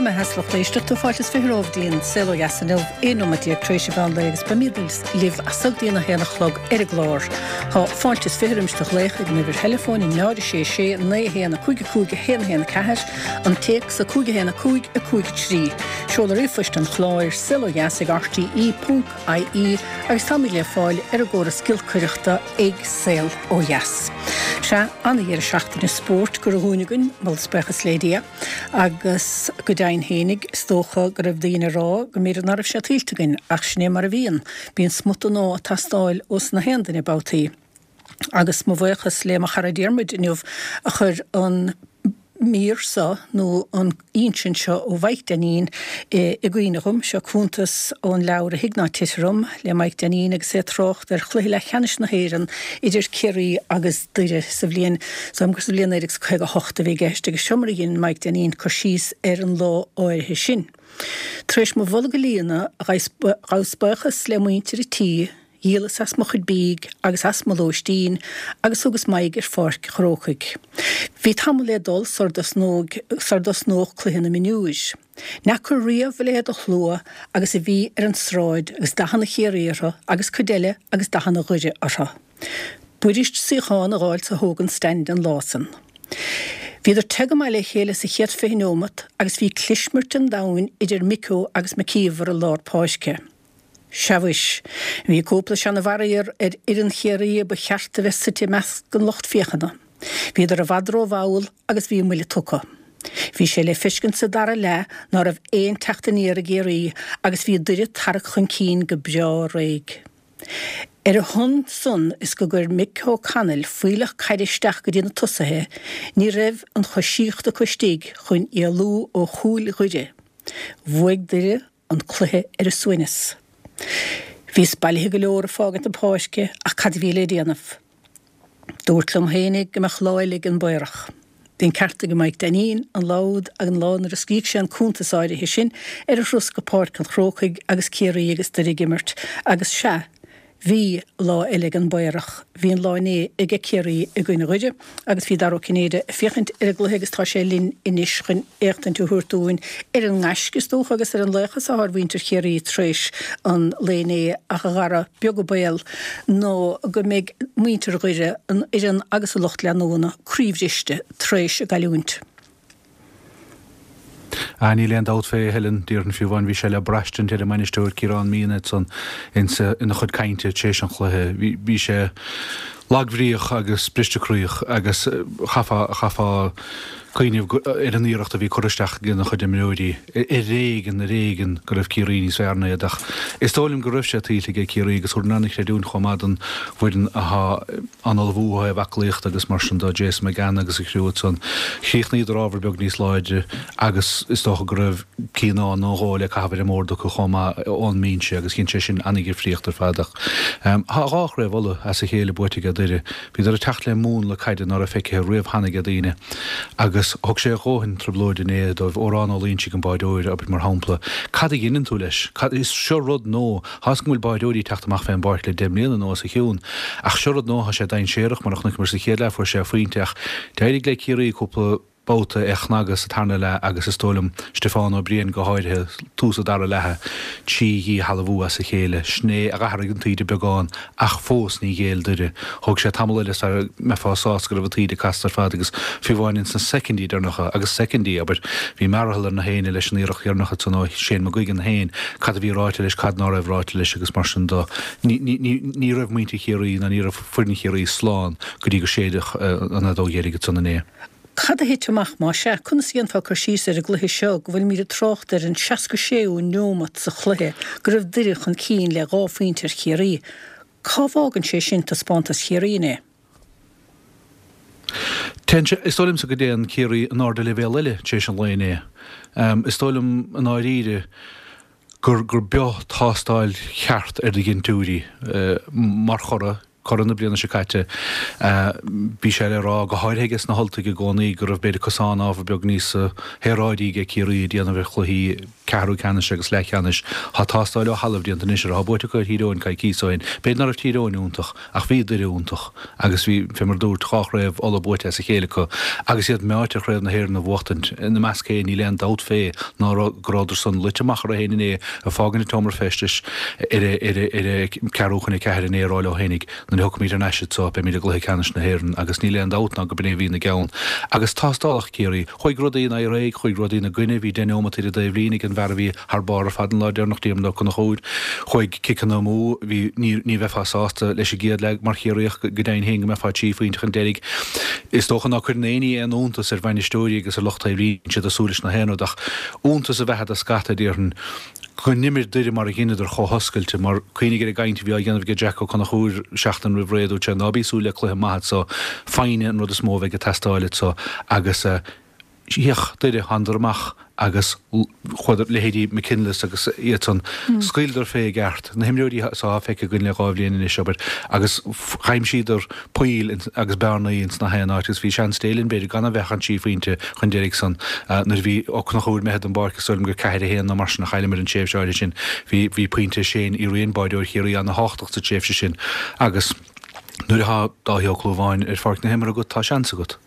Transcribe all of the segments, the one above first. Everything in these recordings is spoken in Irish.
Go raibh maith a't a lucht éisteachta, fáilte is 20 romhaibh dtí an Saol Ó Dheas inniu, 11 nóiméad tar éis an mheán lae agus beimid libh as so go dtí an 1 a chlog ar an gclár. Tá fáilte is 20 roimis do ghlaoch ag an uimhir theileafóin 0 6 6 9 1 5 5 1 1 4, an téacs 5 1 5 5 3. Seoladh ríomhphoist an chláir, saolodheas ag rte ponc ie agus táimid le fáil ar an gcóras giolcaireachta ag Saol Ó Dheas. Sea, ana-dheireadh seachtaine spóirt curtha dhúinn againn, moladh is buíochas le Dia. Agus go deimhin fhéinig, is dócha go raibh daoine ag rá go mb'fhéidir ná raibh sé tuillte againn, ach sin é mar a bhíonn, bíonn smut den ádh ag teastáil ós na haon duine babhtaí. Agus mo bhuíochas le mo chara Diarmuid inniu a chuir an mír seo, nó an insint seo ó Mhaidhc Dainín i gcuimhne dhom. Seo cuntas ón leabhar A Thig Ná Titfidh Orm le Maidhc Dainín agus é ag trácht ar chluiche leathcheannais na hÉireann idir Ciarraí agus Doire sa bhliain Is dóigh liom gur sa bhliain 1958 a bhí i gceist agus seo mar a dhein Maidhc Dainín cur síos ar an lá áirithe sin. Tar éis mo bholg a líonadh, ghabhas buíochas le muintir an tí, dhíolas as mo chuid bídh agus as mo lóistín agus thugas m'aghaidh ar Pháirc an Chrócaigh. Bhí tamall le dul sar dtosnódh cluiche na mionúir. N'fheaca riamh a leithéid de shlua agus a bhí ar an tsráid agus dathanna Chiarraí orthu agus cuid eile agus dathanna Dhoire orthu. B'fhuirist suíochán a dh'fháil sa Hogan Stand an lá san. Bhíodar te go maith le chéile sa chéad 20 neomat agus bhí clismirt an domhain idir Micko agus McKeever i lár páirce. Sea mhuis, bhí cúpla seana-bharrier ar fhoireann Chiarraí a ba cheart a bheith suite i measc an lucht féachana. Bhíodar i bhfad ró-mhall agus bhí a mbuille tugtha. Bhí sé le feiscint sa dara leath ná raibh aon teacht aniar ag Ciarraí agus bhí Doire tarrac chun cinn go breá réidh. Ar a shon san is go gcuir Mick O'Connell fuílleach caide isteach go dtí na tosaithe, ní raibh an choisíocht acu istigh chun éalú ó chúil Dhoire. Bhuaigh Doire an cluiche ar a suaimhneas. Bhíos bailithe go leor ag fágaint na páirce ach cad a bhí le déanamh? Dúrt liom fhéinig go mbeadh lá eile ag an bPaorach. Bhí an ceart ag Maidhc Dainín an lá úd an lá nuair a scrígh sé an cuntas áirithe sin ar a thuras go Páirc an Chrócaigh agus Ciarraí agus Doire ag imirt agus sea, bhí lá eile ag an bPaorach, bhí an lá inné aige Ciarraí i gcoinne Dhoire agus bhí Dara Ó Cinnéide ag féachaint ar an gcluiche agus tá sé linn anois chun éachtaint a thabhairt dúinn ar an ngaisce is dócha agus ar an laochas atá ar mhuintir Chiarraí tar éis an lae inné ach a Dhara, beag an baol nó go mbeidh muintir Dhoire, an fhoireann agus a lucht leanúna, croíbhriste tar éis a gcailliúint. Ah, níl aon dabht fé, a Helen, déarfainn fiú amháin, bhí sé le braistint ar an mbainisteoir Ciarán Meehan ansan insa, ina chuid cainte tar éis an chluiche. Bhí, bhí sé lagbhríoch agus bristecroíoch agus chaithfeá, chaithfeá cuimhneamh ar an iarracht a bhí curtha isteach ag a chuid imreoirí. Ar éigean, ar éigean go raibh Ciarraí níos fearr ná iad ach is dóigh liom go raibh sé tuillte aige Ciarraí agus thabharfainn an-chreidiúint chomh maith don bhfoireann athá an ullmhú ó thaobh aclaíochta agus mar sin de, Jason McGann agus a chriú ansan. Chríochnaíodar ábhar beag níos láidre agus is dócha go raibh cinn amháin nó dhó le caitheamh ar an mbord acu chomh maith ón mbinse agus dhein sé sin an-dhifríocht ar fad. Ach tá dhá chraobh Uladh as a chéile buaite aige Doire. Bhíodar ag teacht le múnla caide ná raibh feicthe riamh cheana aige daoine agus thug sé a dhóthain trioblóide inné dóibh. Odhrán Ó Loingsigh an báireoir, abair, mar shampla. Cad a dheineann tú leis? Cad, is seo rud nua. Tá 'fhios agam go bhfuil báireoirí ag teacht amach fén bpáirc le 10 mbliana nó os a chionn, ach seo rud nua, tá sé dainséarach, mar a chonaiceamar sa chéad leath, fuair sé a phointe, ach d'éirigh le Ciarraí cúpla babhta é a chnagadh sa tarna leath agus is dóigh liom Stiofán Ó Briain go háirithe, tús an dara leatha, trí dhíshealbhú as a chéile, sin é a dh'athraigh an taoide beagán ach fós ní ghéill Doire. Thóg sé tamall eile sara mbeifeá sásta go raibh an taoide casta ar fad agus fiú amháin ins na soicindí deireanacha, agus soicindí, abair, bhí mearathall ar na héinne leis an iarracht dheireanach ansan ó Shane McGuigan féin, cad a bhí ráite leis, cad ná raibh ráite leis agus mar sin do. Ní, ní, ní, ní raibh muintir Chiarraí ná ní raibh foireann Chiarraí slán go dtí gur séideadh an fheadóg dheiridh ansan inné. Cad a thit amach, más ea? Conas a dhéanfá cur síos ar an gcluiche seo, go bhfuilimid ag trácht ar an 66ú neomat sa chluiche, go raibh Doire chun cinn le dhá phointe ar Chiarraí? Cá bhfágann sé sin taispeántas Chiarraí inné? Téann sé, is dóigh liomsa go dtéann Ciarraí in airde leibhéal eile tar éis an lae inné. Is dóigh liom i ndáiríre gur, gur b'eo tástáil cheart ar do dhintiúirí mar churaidh. Curaidh na bliana seo caite. Bhí sé le rá, go háirithe aige sna hUltaigh i gcónaí, go raibh b'fhéidir cosán ábhar beag níos saoráidí aige Ciarraí ag déanamh ar chluichí ceathrú ceannais agus leathcheannais. Tá tástáil ó thalamh déanta anois ar atá buaite acu ar Thír Eoghain coicíos ó shin. B'fhéidir ná raibh Tír Eoghain iontach ach bhí Doire iontach agus bhí, fé mar a dúrt, dhá chraobh Uladh buaite as a chéile acu agus iad meáite ar chraobh na hÉireann a bhuachtaint. Ina measc féin níl aon dabht fé ná go rabhadar san luite amach orthu féin inné ag fágaint an tseomra feistis ar a ceathrú chun a ceathair inné ag rá leo fhéinig, nuair a thiocfaimid thar n-ais anso, beimid i gcluiche ceannais na hÉireann agus níl aon dabht ná go b'in é a bhí ina gceann. Agus tástálach Ciarraí. Chuaigh rudaí ina aghaidh, chuaigh rudaí ina gcoinne, bhí deich neomat ar an dtaobhlíne ag an bhfear a bhí thar barr ar fad an lá deireanach, Diarmuid Ó Conchúir. Chuaigh ciceanna amú, bhí, ní, ní bheifeá sásta leis an gcéad leath mar Chiarraíoch go deimhin féin go mbeifeá trí phointe chun deiridh. Is dócha ná cuireann aon ní aon iontas ar bhainisteoirí agus ar lucht taobhlíne, siad ag súil leis na haon rud ach iontas a bheatha do scata, déarfainn, go n-imir Doire mar a dheineadar chomh hoscailte, mar cuimhnigh ar an gcaint a bhí á dhéanamh aige Jack Ó Conchúir seachtain roimh ré, dúirt sé, ná bí ag súil le cluiche maith anso, foighne an rud is mó a bheidh ag teastáil anso agus D'fhéach Doire, thánadar amach agus chuadar, leithéidí McKinless agus iad san, scaoileadar fé i gceart, na himreoirí so atá feicthe againn le dhá bhliain anois, abair, agus dh'aimsíodar poill agus bearnaí ins na haon áit agus bhí seans Dé linn, b'fhéidir, gan a bheith ach an trí phointe chun deiridh san nuair a bhí Ó Conchúir imithe den bpáirc, is dóigh liom gur 4-1 nó mar sin a chailleamar an tréimhse áirithe sin. Bhí, bhí pointe Shane Uí Riain, báireoir Chiarraí, ana-thábhachtach sa tréimhse sin agus nuair atá Dáithí Ó Clúmháin ar pháirc na himeartha agat, tá seans agat.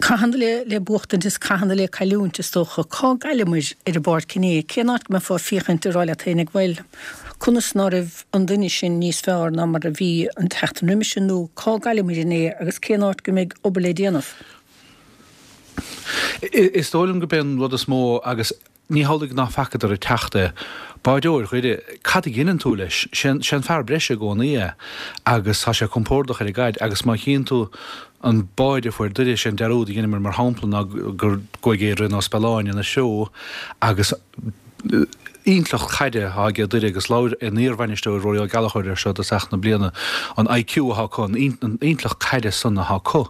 Cathanna le le buachtaint is cathanna le cailliúint, is dócha. Cá gcailleamair ar an bpáirc inné? Cén áit go mbeifeá ag féachaint ag rá leat féinig, bhuel, conas ná raibh an duine sin níos fearr ná mar a bhí an tseachtain roimis sin nó cá gcailleamair inné agus cén áit go mbeidh obair le déanamh? Is dóigh liom gurb é an rud is mó agus Ní hamhlaidh ná facadar ag teacht é. Báireoir Dhoire, cad a dheineann tú leis? Sé an fear breise i gcónaí é agus tá sé compordach ar an gcaid agus má chíonn tú an báide a fuair Doire, sé an dearúd a dheineamar mar shampla ná gur gcuaigh Adrian Ó Spealáin ina threo agus intleacht chaide atá aige Doire agus labhair a n-iarbhainisteoir Rory Ó Gallchóir air seo i dtosach na bliana, an IQ atá acu, an intleacht caide san atá acu.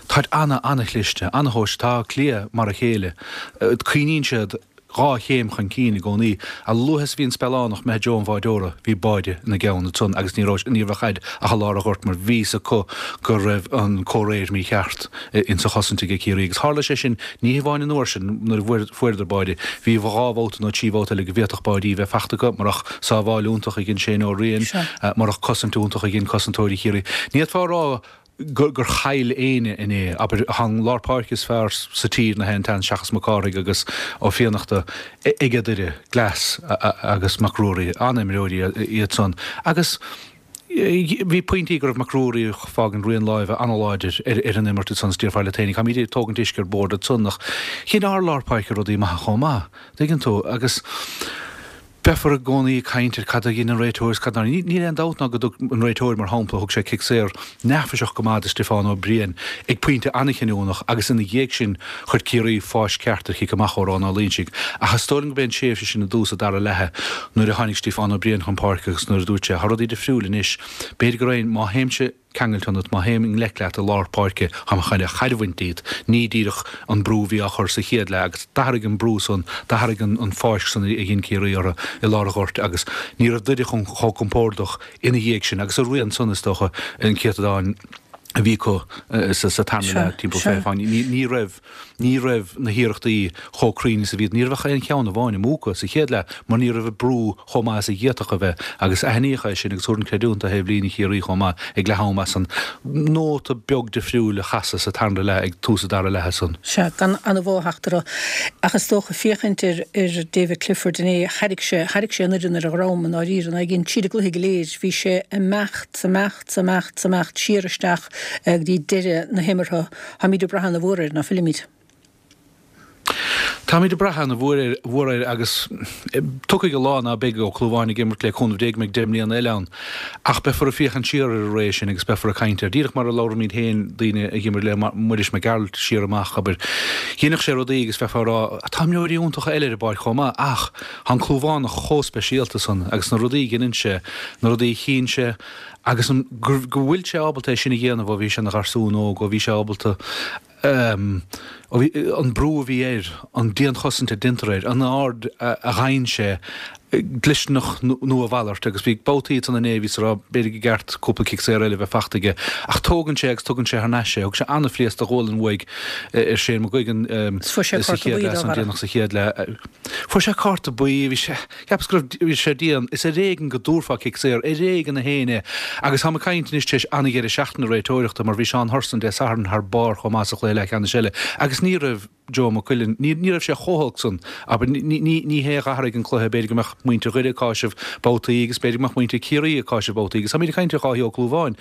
Táid ana, ana-chliste, ana-thomhaiste. Tá Áth Cliath mar a chéile. Cuimhníonn siad dhá chéim chun cinn i gcónaí. A luaithe is a bhí an Spealánach imithe i dtreo an bháideora, bhí báide ina gceann ansan agus ní raibh, ní raibh an chaid ach i lár an ghoirt mar bhí fhios acu go raibh an comhréir mícheart insa chosaint aige Ciarraí. Agus tharla sé sin ní hamháin an uair sin nuair a fuaireadar báide, bhí dhá bhabhta nó trí bhabhta eile go bhféadfadh báidí bheith fachta acu murach sábháil iontach a dhein Shane Ó Riain, murach cosaint iontach a dhein cosantóirí Chiarraí. Ní fhéadfá a rá gur chaill éinne inné. Abair, tá an lár páirce is fearr sa tír na haon tseans seachas Mac Cárthaigh agus Ó Fiannachta aige Doire, Glass agus Mac Ruairí, an-imreoirí iad san. Agus bhí pointí go raibh Mac Ruairí ag fágaint rian láimhe an-láidir ar an imirt ansan is déarfá leat féinig, táimid ag tógaint uisce ar bord ansan ach dhein ár lár páirce rudaí maithe chomh maith, tuigeann tú, agus. Beifear i gcónaí ag caint ar cad a dhein an réiteoir is cad nár. Níl aon dabht ná go dtug an réiteoir, mar shampla, thug sé cic saor neafaiseach go maith do Stiofán Ó Briain ag pointe an-chinniúnach agus ina dhiaidh sin chuir Ciarraí fáisc ceart ar chic amach ó Rónán Ó Loingsigh. Ach is dóigh liom gurb é an tréimhse sin i dtús an dara leatha nuair a tháinig Stiofán Ó Briain chun páirce agus nuair a dúirt sé, Tá rudaí difriúil anois. B'fhéidir go raibh, má théimse, ceangailte ionat, má théim i ngleic leat i lár páirce, táim chun caid a bhaint díot. Ní díreach an brú a bhí á chur sa chéad leath agus d'athraigh an brú san, d'athraigh an fáisc san a dhein Ciarraí orthu i lár an ghoirt agus ní raibh Doire chomh compordach ina dhiaidh sin agus a rian san, is dócha, an céatadán a bhí acu sa tarna leath timpeall 20 fáinne. Ní raibh. Ní raibh na hiarrachtaí chomh cruinn is a bhíodh. Ní raibh ach aon cheann amháin amú acu sa chéad leath mar ní raibh an brú chomh maith is a d'fhéadfadh a bheith agus aithníodh é sin agus thabharfainn creidiúint do thaobh líne Chiarraí chomh maith ag leath am as an nóta beag difriúil a chasadh sa tarna leath ag tús an dara leatha san. Sea, gan ana-mhodh a theacht orthu. Ach is dócha, féachaint ar ar David Clifford inné, thairrig sé, thairrig sé an fhoireann ar a dhrom i ndáiríre, in aghaidh tríd an gcluiche go léir. Bhí sé ag imeacht, 's imeacht, 's imeacht, 's imeacht siar isteach go dtí deireadh na himeartha. Táimid ag brath ana mhór air, ná fuilimid? Táimid ag brath ana mhór air agus tiocfaidh an lá ná beidh Ó Clúmháin ag imirt le cúnamh Dé go mbeidh 10 mbliana eile ann. Ach beifear ag féachaint siar ar an ré sin agus beifear ag caint air. Díreach mar a labhraímid féin, daoine a dh'imir le Muiris Mac Gearailt siar amach, abair. Dheineadh sé rudaí agus bheifeá ag rá, tá imreoirí iontacha eile ar an bpáirc chomh maith ach tá an Clúmhánach chomh speisialta san agus na rudaí a dheineann sé, na rudaí a chíonn sé, Agus an, go, go bhfuil sé ábalta é sin a dhéanamh ó bhí sé ina gharsún óg, ó bhí sé ábalta ehm, ó bhí, an brú a bhí air, an dianchosaint a deintear air, an aird a, a gheibheann sé. Dlisteanach nó a mhalairt agus bhí babhtaí ansan inné bhíos ag rá b'fhéidir gur cheart cúpla cic saor eile a bheith fachta aige ach tógann sé agus tugann sé thar n-ais é. Thug sé an-phléasc de ghualainn uaidh ar Shane McGuigan sa chéad leath san déanach sa chéad leath. Fuair sé cárta buí, bhí sé, cheapas go raibh, bhí sé dian. Is ar éigean go dtabharfá cic saor, ar éigean a théann é. Agus táim ag caint anois tar éis an-dheireadh seachtaine réiteoireachta mar bhí Seán Hurson Dé Sathairn thar barr chomh maith sa chluiche leathcheannais eile agus ní raibh, Joe Maigh Cuilinn. Ní raibh sé chomh holc san, abair. Ní hé a dh'athraigh an cluiche. B'fhéidir go mbeadh muintir Dhoire ag cáiseamh babhtaí agus b'fhéidir go mbeadh muintir Chiarraí ag cáiseamh babhtaí agus táimid ag caint ar Dháithí Ó Clúmháin.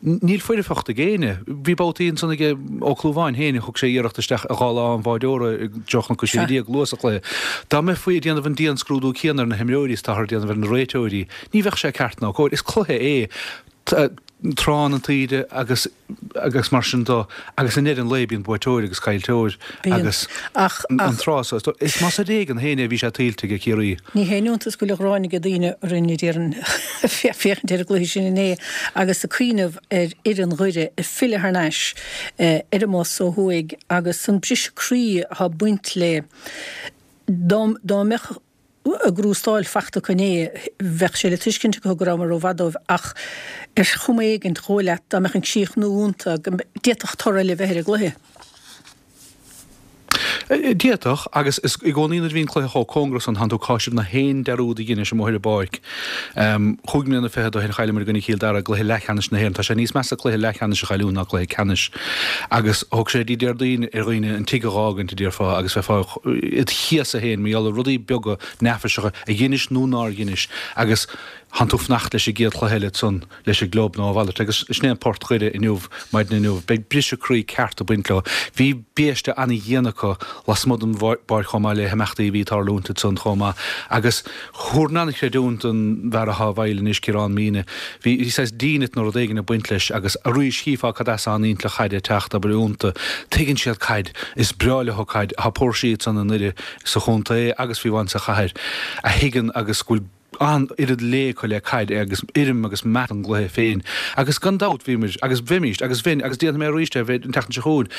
Níl foirfeacht ag éinne. Bhí babhtaí ansan aige Ó Clúmháin féin, thug sé iarracht isteach i dá lámh an bháireora i dtreo Chnoc na Sé Déag luath sa chluiche. Dá mbeifí ag déanamh an dianscrúdú céanna ar na himreoirí is atáthar ag déanamh ar na réiteoirí, ní bheadh sé ceart ná cóir. Is cluiche é. Tránn an taoide agus agus mar sin do agus i ndeireadh an lae bíonn buaiteoir agus caillteoir agus an tráth so is más ar éigean féin é bhí sé tuillte ag Ciarraí. Ní haon iontas go bhfuil an ghráin ag daoine orainn a déarfainn féachaint ar an gcluiche sin inné agus ag cuimhneamh ar fhoireann Dhoire ag filleadh thar n-ais ar an mbus ó thuaidh agus an briseadh croí atá ag baint le dá mbeadh a gcrústáil fachta acu inné, bheadh sé le tuiscint acu go rabhamar rómhaith dóibh ach ar chuma éigint, dhóigh leat dá mbeadh an críochnú iontu go d'fhéadfadh toradh eile a bheith ar an gcluiche. D'fhéadfadh, agus is i gcónaí nuair a bhíonn cluiche chomh cóngarach san, tánn tú ag cáiseamh na haon dearúd a dheinis amuigh ar an bpáirc. Chúig mbliana fichead ó shin chailleamar i gcoinne Chill Dara i gcluiche leathcheannais na hÉireann. Tá sé níos measa cluiche leathcheannais a chailliúint ná cluiche ceannais. Agus thóg sé dtí Déardaoin ar dhaoine an tigh a dh'fhágaint, a déarfá, agus bheifeá id chéasadh féin mar gheall ar rudaí beaga neafaiseacha a dheinis nó nár dheinis agus thánn tú fanacht leis an gcéad chluiche eile ansan leis an gclub nó a mhalairt. Agus sin é an port Dhoire inniu, maidin inniu. Beidh briseadh croí ceart ag baint leo. Bhí biaiste an-dhian acu lasmuigh den bpáirc chomh maith le himeachtaí a bhí ag tarlúint ansan chomh maith agus Thabharfainn an-chreidiúint don bhfear athá i bhfeighil anois, Ciarán Meenagh. Bhí saghas dínit nó rud éigin ag baint leis agus arís chífeá cad as an intleacht chaide ag teacht, abair, iontu. Tuigeann siad caid. Is breá leo caid. Tá póirsí ansan i nDoire, sa chontae agus fiú amháin sa chathair a thuigeann agus go bhfuil an-oiread lé acu le caid agus urraim agus meas don gcluiche féin. Agus gan dabht bhíomar, agus bheimíst, agus bheinn, agus déanfaidh mé arís é, an tseachtain seo chugainn,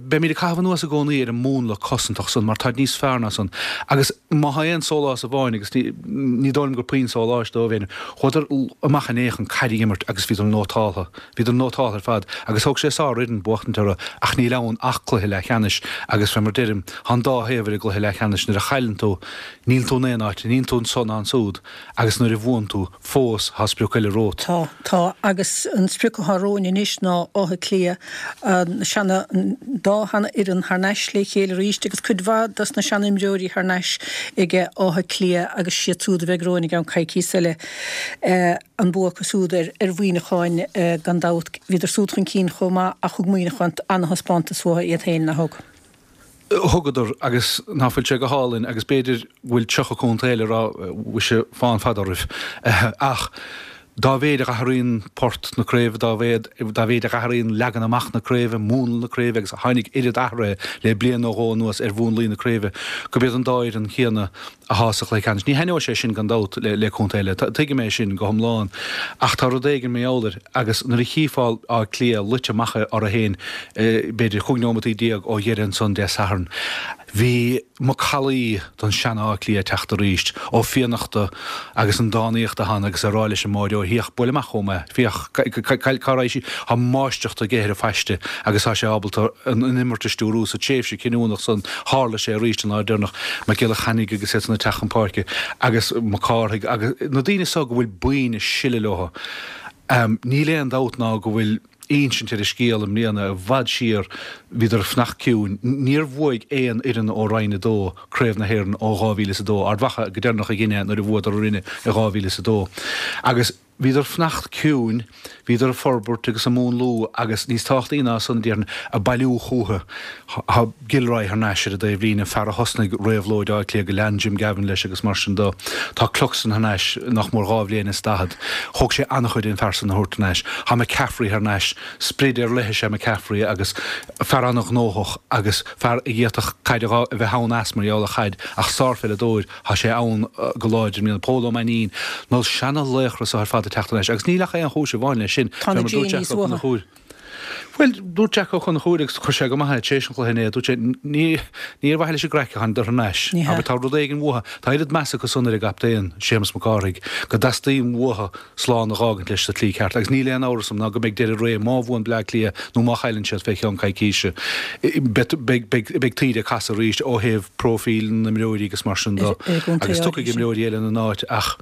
beimid ag caitheamh anuas i gcónaí ar an múnla cosantach san mar táid níos fearr ná san. Agus má thá aon sólás amháin, agus ní dóigh liom gur puinn sóláis dóibh é, chuadar amach inné chun caid a imirt agus bhíodar nótáltha. Bhíodar nótáltha ar fad agus thóg sé sárfhoireann buachtaint orthu ach níl ann ach cluiche leathcheannais agus fé mar deirim, thá an dá thaobh ar an gcluiche leathcheannais, nuair a chailleann tú, níl tú in aon áit, níl tú anso ná ansúd agus nuair a bhuann tú, fós, thá sprioc eile romhat. Tá, tá, agus an sprioc athá romhainn anois ná Áth Cliath, an seana, an dá sheana-fhoireann thar n-ais le chéile arís agus cuid mhaith dos na seana-imreoirí thar n-ais ag Áth Cliath agus siad súd a bheidh romhainn i gceann coicíos eile. An bua acu súd ar ar Mhuineacháin gan dabht. Bhíodar súd chun cinn chomh maith ach thug Muineachán ana-thaispeántas uathu iad féin, nach thug? Thugadar, agus ná fuil sé go hálainn, agus b'fhéidir go bhfuil 30 contae eile ag rá, mhuise, fán fada oraibh. Ach dá mhéid a dh'athraíonn port na craoibhe, dá mhéad, dá mhéid a dh'athraíonn leagan amach na craoibhe, múnla na craoibhe, agus tháinig oiread athraithe le bliain nó dhó anuas ar mhúnlaí na craoibhe, gurb iad an dá fhoireann chéanna athá sa chluiche ceannais. Ní thaitneoidh sé sin gan dabht le contae eile, tuigim é sin go hiomlán, ach tá rud éigin mar gheall air agus nuair a chífeá Áth Cliath luite amach orthu féin b'fhéidir 15 neomataí ó dheireadh ansan Dé Sathairn, bhí macallaí den sean-Áth Cliath ag teacht arís, Ó Fiannachta agus an dánaíocht atá ann agus ag rá leis an mbáireoir, féach, buail amach chugam é, féach, cá raghaidh sí, tá máistreacht aige ar an phaiste agus tá sé ábalta an imirt a stiúrú sa tréimhse cinniúnach san, tharla sé arís an lá deireanach, Mac Giolla Chainnigh agus iad san ag teacht chun páirce agus Mac Cárthaigh agus na daoine so go bhfuil boinn ag sileadh leo. Níl aon dabht ná go bhfuil insint ar an scéal i mbliana, i bhfad siar bhíodar ag fanacht ciúin. Níor bhuaigh aon fhoireann ó Roinn 2 Craobh na hÉireann ó 2002, Ard Mhacha go deireanach a dhein é nuair a bhuadar orainne i 2002. Agus Bhíodar ag fanacht ciúin, bhíodar ag forbairt agus ag múnlú agus, níos tábhachtaí ná san, déarfainn, ag bailiú chúthu. Tá Gilroy thar n-ais ar an dtaobhlíne, fear a thosnaigh réabhlóid Átha Cliath go lean Jim Gavin leis agus mar sin de. Tá Cluxton thar n-ais nach mór dhá bhliain is daichead. Thóg sé an-chuid an fear san a thabhairt thar n-ais. Tá McCaffrey thar n-ais. Sprid ar leith is ea McCaffrey agus fear an-ghnóthach agus fear a d'fhéadfadh caid a bheith ann as mar gheall ar chaid ach sárpheileadóir. Tá sé ann go láidir i mbliana. Pól Ó Mainnín, na seana-laochra so ar fad ag teacht thar n-ais agus níl ach aon chúis amháin leis sin. Tá na Jamie's uathu. Bhuel, dúirt Jack Ó Conchúir, agus chuir sé go maith é tar éis an chluiche inné, dúirt sé, ní ní ar mhaithe leis an gcraic a tháinigeadar thar n-ais. Ní hea. Abair, tá rud éigin uathu, tá oiread measa acu san ar an gcaptaen, Séamus Mac Cárthaigh, go dteastaíonn uathu slán a dh'fhágaint leis sa tslí ceart. Agus níl aon amhras agam ná go mbeidh deireadh ré má bhuann Bleá Cliath nó má chailleann siad fé cheann coicíse. Beidh beidh beidh beidh taoide ag casadh arís ó thaobh próifíl na n-imreoirí agus mar sin de. Ar an gcontae Agus tiocfaidh áirithe sin. imreoirí eile ina n-áit ach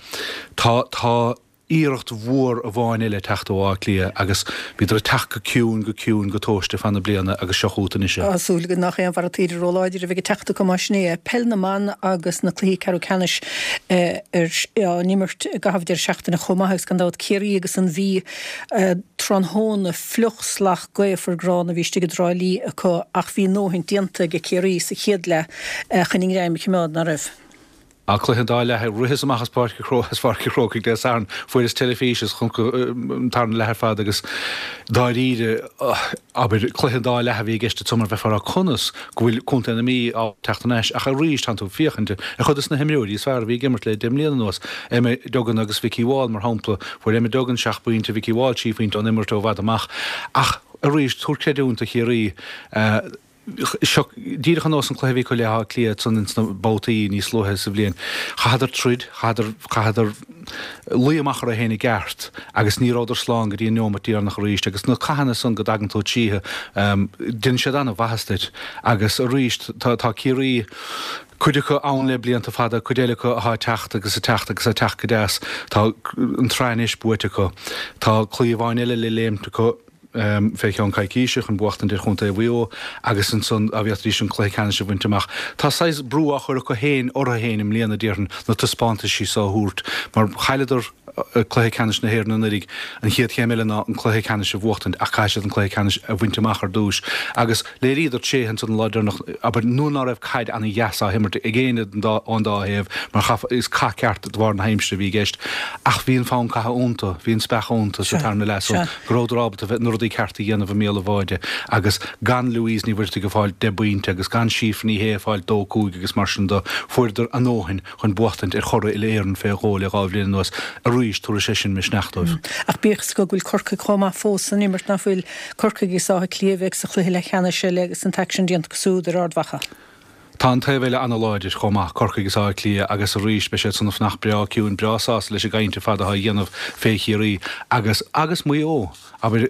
tá tá iarracht mhór amháin eile ag teacht ó Áth Cliath agus bhíodar ag teacht go ciúin, go ciúin, go tomhaiste fan na bliana agus seo chugat anois é. Tá súil againn nach aon bharra taoide róláidir a bheidh ag teacht acu más sin é. Peil na mBan agus na cluichí ceathrú ceannais á n-imirt i gcaitheamh deireadh seachtaine chomh maith agus gan dabht Ciarraí agus an Mhí tráthnóna fliuch salach gaofar gránna a bhí istigh i dTrá Lí acu ach bhí a ndóthain déanta ag Ciarraí sa chéad leath chun a ngreim a choimeád, ná raibh? Á, cluiche an dá leath, ritheas amach as Páirc as Pháirc an Chrócaigh Dé Sathairn, fuaireas teilifís is chonaic an tarna leath ar fad agus dáiríre, abair, cluiche an dá leath a bhí i gceist ansan mar bheifeá ag rá conas go bhfuil Contae na Mí á teacht thar n-ais ach arís tánn tú ag féachaint ar chuid de na himreoirí is fearr a bhí ag imirt le 10 mbliana anuas, Emma Duggan agus Vikki Wall mar shampla, fuair Emma Duggan seacht bpointe, Vikki Wall trí phointe ón imirt ó i bhfad amach ach arís tabhair creidiúint do Chiarraí. Seo díreach ar nós an cluiche a bhí acu le hÁth Cliath ansan ins na babhtaí níos luaithe sa bhliain. Chaitheadar troid, chaitheadar, chaitheadar luí amach orthu féin i gceart agus ní rabhadar slán go dtí an neomat deireanach arís agus na cathanna san go dtagann tú tríothu, déanann siad an-mhaitheas duit agus arís tá, tá Ciarraí, cuid acu ann le blianta fada, cuid eile acu atá ag teacht agus ag teacht agus ag teacht go deas. Tá an tsraith anois buaite acu. Tá claí amháin eile le léimt acu. fé cheann coicíse chun buachtaint ar chontae Mhaigh Eo agus ansan dá bhféadfaidís an cluiche ceannais a bhaint amach. Tá saghas brú á chur acu féin orthu féin i mbliana, déarfainn, na taispeántaisí so a thabhairt mar chailleadar cluiche ceannais na hÉireann anuraidh. An chéad chéim eile ná an cluiche ceannais a bhuachtaint ach caithfidh siad an cluiche ceannais a bhaint amach ar dtúis agus léiríodar tréithe ansan an lá deireanach, abair, nuair ná raibh caid ana-dheas á himirt ag éinne ón dá thaobh mar chaith, is cath ceart de bharr na haimsire a bhí i gceist ach bhí an fonn catha iontu, bhí an speach iontu sa tarna leath so go rabhadar ábalta bheith na rudaí cearta a dhéanamh i mbéal an bháide agus gan Louise Ní Mhuircheartaigh ag fáil deich bpointe agus gan Síofra Ní Shé ag fáil dó cúig agus mar sin de, fuaireadar a ndóthain chun buachtaint ar churaidh uile-Éireann fé dhó le 2 bhliain anuas arís, tabharfaidh sé sin misneach dóibh. Ach bíodh is go bhfuil Corcaigh chomh maith fós san imirt, ná fuil? Corcaigh agus Áth Cliath a bheidh sa chluiche leathcheannais eile agus an t-aicsean déanta acu siúd ar Ard Mhacha. Tá an taobh eile ana-láidir chomh maith, Corcaigh agus Áth Cliath, agus arís beidh siad san ag fanacht breá ciúin, breá sásta leis an gcaint ar fad atá á dhéanamh fé Chiarraí agus, agus Maigh Eo. Abair,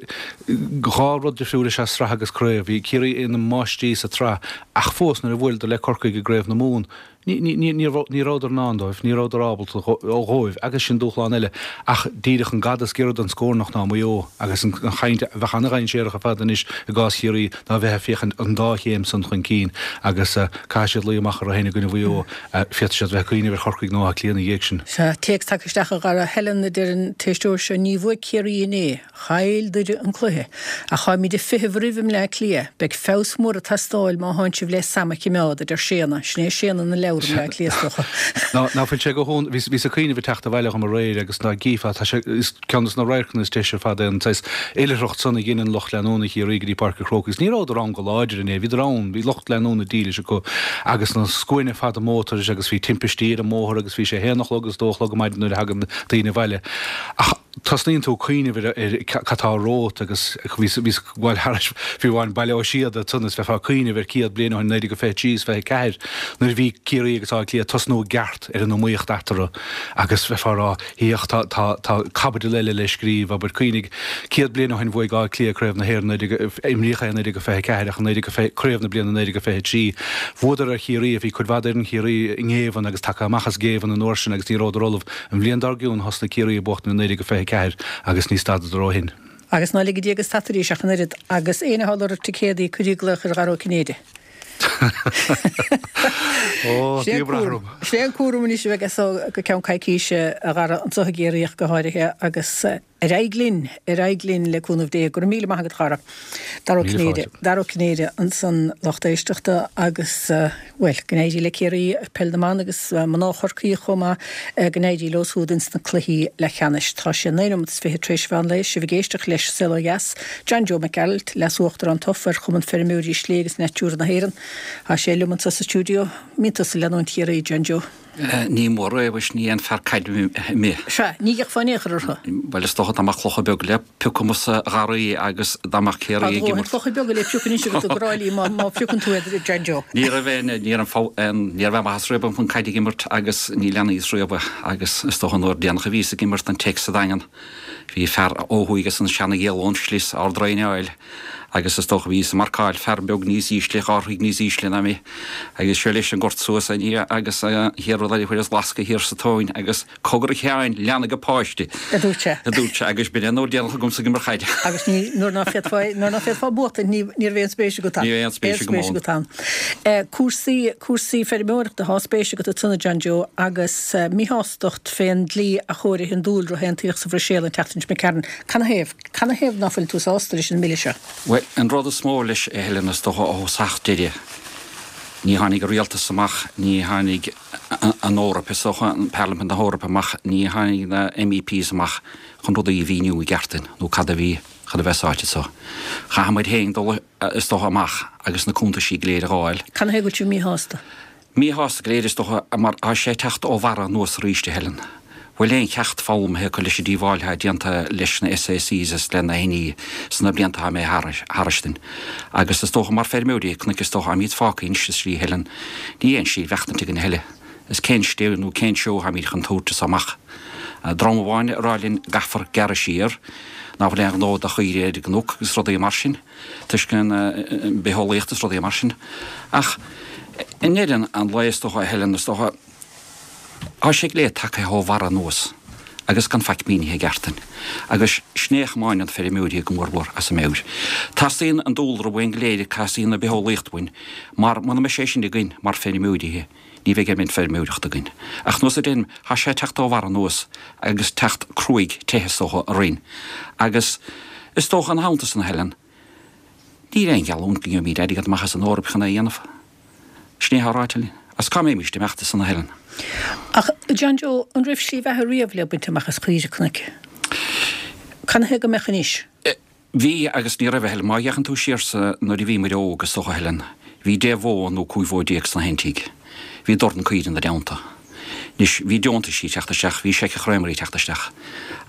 dhá rud difriúil is ea sraith agus craobh. Bhí Ciarraí ina máistrí sa tsraith ach fós nuair a bhuaileadar le Corcaigh i gCraobh na Mumhan, Ní, ní, ní, ní raibh, ní rabhadar in ann dóibh, ní rabhadar ábalta dhóibh, agus sin dúshlán eile. Ach díreach an gada is giorra don scornach ná Maigh Eo, agus an chaint a bheadh an-dhainséarach ar fad anois i gcás Chiarraí ná bheith ag féachaint an dá chéim san chun cinn, agus caithfidh siad luí amach orthu féin i gcoinne Mhaigh Eo, féadfaidh siad bheith ag cuimhneamh ar Chorcaigh nó Áth Cliath ina dhiaidh sin. Sea, téacs tagtha isteach a Dhara Helen, a deir an t-éisteoir seo, ní bhuaigh Ciarraí inné. Chaill Doire an cluiche. Ach táimid ag feitheamh roimh i mBleá Cliath. Beidh feabhas mór ag teastáil má thánn sibh le Sam a chimeád, a deir Séanna. Sin é Séanna na leabhar i mBleá Cliath, is dócha. Ná, ná fuil sé go hionadh, bhíos, bhíos ag cuimhneamh ag teacht abhaile dhom aréir agus dá gcífeá, tá sé, is ceann des na radharcanna is deise ar fad é an saghas oilithreacht san a dheineann lucht leanúna Chiarraí go dtí Páirc an Chrócaigh. Agus ní rabhadar ann go láidir inné, bhíodar ann, bhí lucht leanúna dílis acu agus na scuaine fada mótair agus bhí timpistí ar an mbóthar agus bhí sé a haon a chlog agus dó a chlog ar maidin nuair a thagann daoine abhaile. Ach tosnaíonn tú ag cuimhneamh ar ar cad tá romhat agus bhíos bhíos ag gabháil thairis fiú amháin Baile Ó Síoda ansan is bheifeá ag cuimhneamh ar 100 bliain ó shin, 1923 is 24, nuair a bhí Ciarraí agus Áth Cliath ag tosnú i gceart ar an iomaíocht eatarthu agus bheifeá ag rá féach tá tá tá caibidil eile le scríobh, abair cuimhnigh 100 bliain ó shin bhuaigh Áth Cliath Craobh na hÉireann 19, imríodh é i 1924 ach i 19, craobh na bliana 1923 bhuadar ar Chiarraí, bhí cuid mhaith d'fhoireann Chiarraí i ngéibheann agus tagtha amach as géibheann an uair sin agus ní rabhadar ullamh An bhliain dár gcionn thosnaigh Ciarraí ag buachtaint i 1924 agus ní stadadar ó shin. Agus ná ligidí go stadfaidís ach an oiread. Agus éinne atá ag lorg ticéadaí, cuirí glaoch ar Dhara Ó Cinnéide. Ó, Sin é an bhí brath cúram. orm. Sin é an cúram anois a bheidh as so go ceann coicíse, a Dhara, anseo i gCiarraí ach go háirithe, agus Ar aghaidh linn, ar aghaidh linn le cúnamh Dé. Go raibh míle maith agat a Dhara. Dara Ó Míle Cinnéide, fáilte. Dara Ó Cinnéide ansan lucht éisteachta agus, bhuel, go n-éirí le Ciarraí, Peil na mBan agus mná Chorcaí chomh maith, go n-éirí leo siúd ins na cluichí leathcheannais. Tá sé naoi nóiméad is fiche tar éis mheán lae, sibh ag éisteacht leis Saol Ó Dheas, John Joe Mac Gearailt, Leas-Uachtarán tofa ar Chumann Feirmeoirí Slé agus Natura na hÉireann. Tá sé liom anso sa stiúideo. Mbíonn tusa ag leanúint Chiarraí, John Joe? Ní mór é, mhuis, ní aon fear caide mé. Sea, ní fhéachfá in aon chor orthu. Bhuel, is dócha dá mbeadh clocha beaga le piocadh agamsa a Gharraí agus dá mbeadh Ciarraí ag imirt. Tá dóthain clocha beaga le piocadh anois agat i dTrá Lí má phiocann tú iad, John Joe. Ní raibh aon, ní raibh aon, ní raibh aon mhaitheas riamh agam chun caide ag imirt agus ní leanaíos riamh agus is dócha an uair déanach a bhíos ag imirt don Tech sa Daingean, bhí fear ó thuaidh as an Seana-Ghialla ón Slios, Ard Raghnaill, agus is dócha bhíos ag marcáil fear beag níos ísle, dhá throigh níos ísle ná mé, agus seo leis an gort suas agus an chéad rud eile fuaireas lascadh thiar sa tóin agus cogar a Sheáin, lean ag an páiste! a dúirt sé. a dúirt sé, agus b'in é an uair déanach agamsa ag imirt chaide. Agus ní, nuair ná féadfá, nuair ná féadfá buachtaint, ní, ní raibh aon spéis agat ann. Ní raibh aon spéis agam ann. agat ann. Cúrsaí, cúrsaí feirmeoireachta, thá spéis agat ansan a John Joe, agus míshástacht fén dlí athchóirithe an dúlra a aontaíodh sa Bhruiséil an tseachtain seo imigh tharainn. Canathaobh? Canathaobh ná fuil tú sásta leis an mbille seo? Bhuel, an rud is mó leis, a Helen, is dócha, ó thosach deireadh, ní tháinig an rialtas amach, ní tháinig an Eoraip, is dócha, an Parlaimint na hEorpa amach, ní tháinig na MEPs amach chun rudaí a mhíniú i gceart duinn, nó cad a bhí chun a bheith sáite so. Chaithfidh muid féin dul, is dócha, amach agus na cuntaisí go léir a dh'fháil. Canathaobh go bhfuil tú míshásta? Míshásta go léir is dócha mar tá sé ag teacht ó bharra anuas arís a Helen. Bhfuil aon cheacht foghlamtha acu leis an díobháil atá déanta leis na SACs is le na NE sna blianta atá imithe tharainn. Agus is dócha mar feirmeoirí cnoic is dócha táimid fágtha anois sa slí a Helen. Níl aon slí mhaireachtaint againn a thuilleadh. Is cén slí nó cén seó atáimid chun tabhairt as amach. Dream amháin ag rá linn go gcaithfear gearradh siar, ná fuil aon ghnó do chaoirigh ar an gcnoc agus rudaí mar sin. toisc an bitheolaíocht is rudaí mar sin. Ach i ndeireadh an lae is dócha, a Helen, is dócha, tá sé go léir tagtha ó bharra anuas agus gan faic mínithe i gceart duinn. Agus sin é a chomáineann feirmeoirí go mórmhór as a meabhair. Teastaíonn an dúlra uainn go léir, teastaíonn an bitheolaíocht uainn, mar muna mbeidh sé sin againn mar feirmeoirí, ní bheidh aon feirmeoireacht againn. Ach nós a deirim, tá sé ag teacht ó bharra anuas agus teacht cruaidh te is dócha orainn. Agus is dócha ina theannta san, a Helen, níl aon gheallúint go ngeobhaimid airgead amach as an Eoraip chun é a dhéanamh. Sin é atá ráite linn. Agus cá mbeimis ag imeacht as san, a Helen? Ach, John Joe, an raibh slí bheatha riamh le baint amach as caoirigh cnoic? Canathaobh go mbeadh anois? Bhí agus ní raibh, a Helen. Má fhéachann tú siar sa, nuair a bhí muid óg, is dócha, a Helen, bhí 10 bhó nó 15 bhó sna haon tigh. Bhí dorn caoire ina dteannta. Anois, bhí deontaisí ag teacht isteach, bhí seiceachréamairí ag teacht isteach.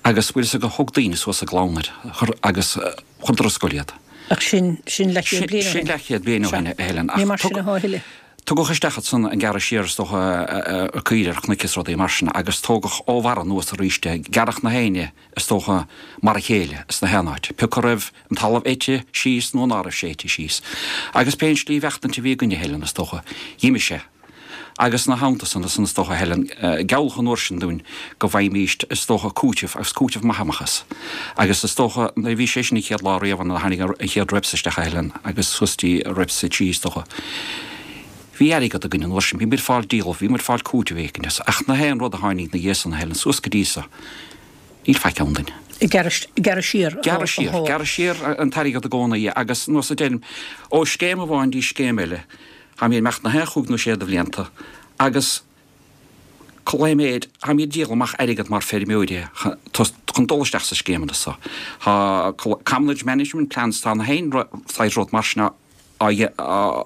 Agus, bhfuil fhios agat, thug daoine suas a gclann iad, chuir, agus chuireadar ar scoil iad. Ach sin, sin leathchéad bliain ó shin. Sin leathchéad bliain ó shin, a Helen. Ní mar sin atá a thuilleadh. Tugadh isteach ansan an gearradh siar, is dócha, caoire ar chnoic is rudaí mar sin, agus tógadh ó bharra anuas arís é, gearradh na haon is dócha, mar a chéile sna haon áit, pé acu raibh an talamh ite síos nó ná raibh sé ite síos. Agus pé an slí mhaireachtaint a bhí againne, a Helen, is dócha, dh'imigh sé. Agus ina theannta san, is dócha, a Helen, gealladh an uair sin dúinn go bhfaighimíst, is dócha, cúiteamh, agus cúiteamh maith amach as. Agus is dócha, nuair a bhí sé sin an chéad lá riamh nuair a tháinig an chéad REPS isteach, a Helen, agus suas dtí REPS 3, is dócha, bhí airgead againn an uair sin, bhí muid ag fáil díol, bhí muid ag fáil cúiteamh éicint as. Ach na haon rud a tháinig 'na dhiaidh san, a Helen, suas go dtí so, Níl faic ann duinn. Gearradh siar. Gearradh siar. Gearradh siar an t-airgead i gcónaí agus nós a deirim, ó scéim amháin dtí scéim eile, táimid ag imeacht na haon chúig nó sé de bhlianta agus cúpla méid, táimid ag díol amach airgead mar feirmeoirí chun dul isteach sa scéimeanna so. Tá Commonage Management Plans, tá na haon saghas rud mar sin á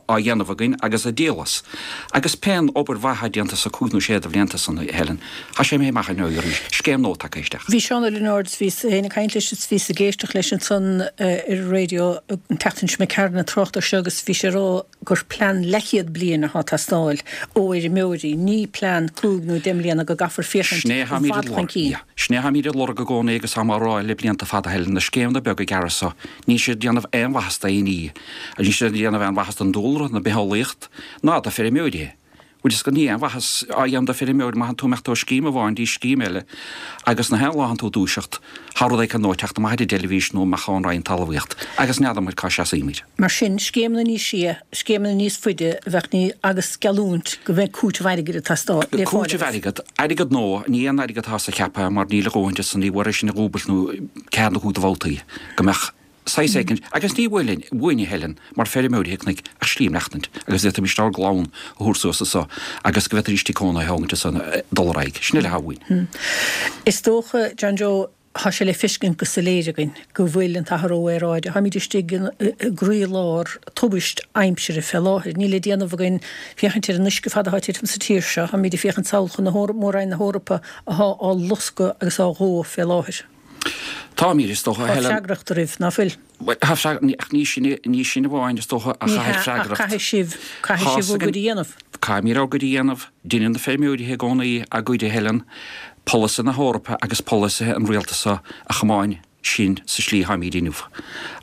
dhéanamh againn agus ag díol as. Agus pé an obair mhaith atá déanta sa cúig nó sé de bhlianta san, a Helen, tá sé imithe amach ar arís, scéim nua tagtha isteach. Bhí Seán Ó Lionáird, bhíos féin ag caint leis is bhíos ag éisteacht leis ansan ar an raidió an tseachtain seo imigh tharainn ag trácht air seo agus bhí sé ag rá gur plean leathchéad bliain atá ag teastáil ó fheirmeoirí, ní plean cúig nó deich mbliana go gcaithfear féachaint i bhfad chun cinn. Sin é atáimid ag lorg i gcónaí agus táim á rá le blianta fada, a Helen, na scéimeanna beaga gearra so, Níl siad ag déanamh aon mhaitheas d'aon ní. Níl siad ag déanamh aon mhaitheas don dúlra, na bitheolaíocht, ná do feirmeoirí. Bhfuil fhios agat, níl aon mhaitheas á dhéanamh do feirmeoir má thánn tú imeacht ó scéim amháin dtí scéim eile agus na haon lá thánn tú ag dúiseacht, tá rud éicint nua ag teacht amach ar an dteilifís nó amach ón Roinn Talmhaíocht agus n'fheadar muid cá seasaímid. Mar sin, scéimeanna níos sia, scéimeanna níos faide a bheadh ní agus geallúint go mbeidh cúiteamh airgid ag teastáil le fáil Cúiteamh airgid, airgead nua, ní aon airgead atá sa cheapadh mar níl a dhóthain de san, ní bhfuair sin a dhúbailt nó ceathair nó cúig de bhabhtaí go mbeadh saghas éicint, agus ní bhfuil uainn a Helen, mar feirmeoirí cnoic ach slí maireachtaint agus d'fhéadfaimis ár gclann a thabhairt suas anso agus go bhféadfaidís tigh cónaithe a thógaint anso dul ar aghaidh. Sin uile atá uainn. Is dócha, John Joe. Tá sé le feiscint go soiléir againn go bhfuil an t-athrú aeráide, táimid istigh i gcroílár tubaist aimsire fé láthair. Níl le déanamh againn féachaint ar an uisce fada atá ag titim sa tír seo, táimid ag féachaint sall chun na Mór-Roinn na hEorpa athá á loscadh agus á dhó fé láthair. Táimid, is dócha, a Helen. Tá freagracht oraibh, ná fuil? Bhuel, tá freagracht, ach ní sin, ní sin amháin, is dócha, a Ní hea, chaithfidh ach freagracht. caithfidh sibh, caithfidh sibh bhur gcuid a dhéanamh. Caithfimid ár gcuid a dhéanamh. Deineann na feirmeoirí i gcónaí a gcuid, a Helen. Polasaithe na hEorpa agus polasaithe an rialtais seo a chomáin sinn sa slí atáimid inniu.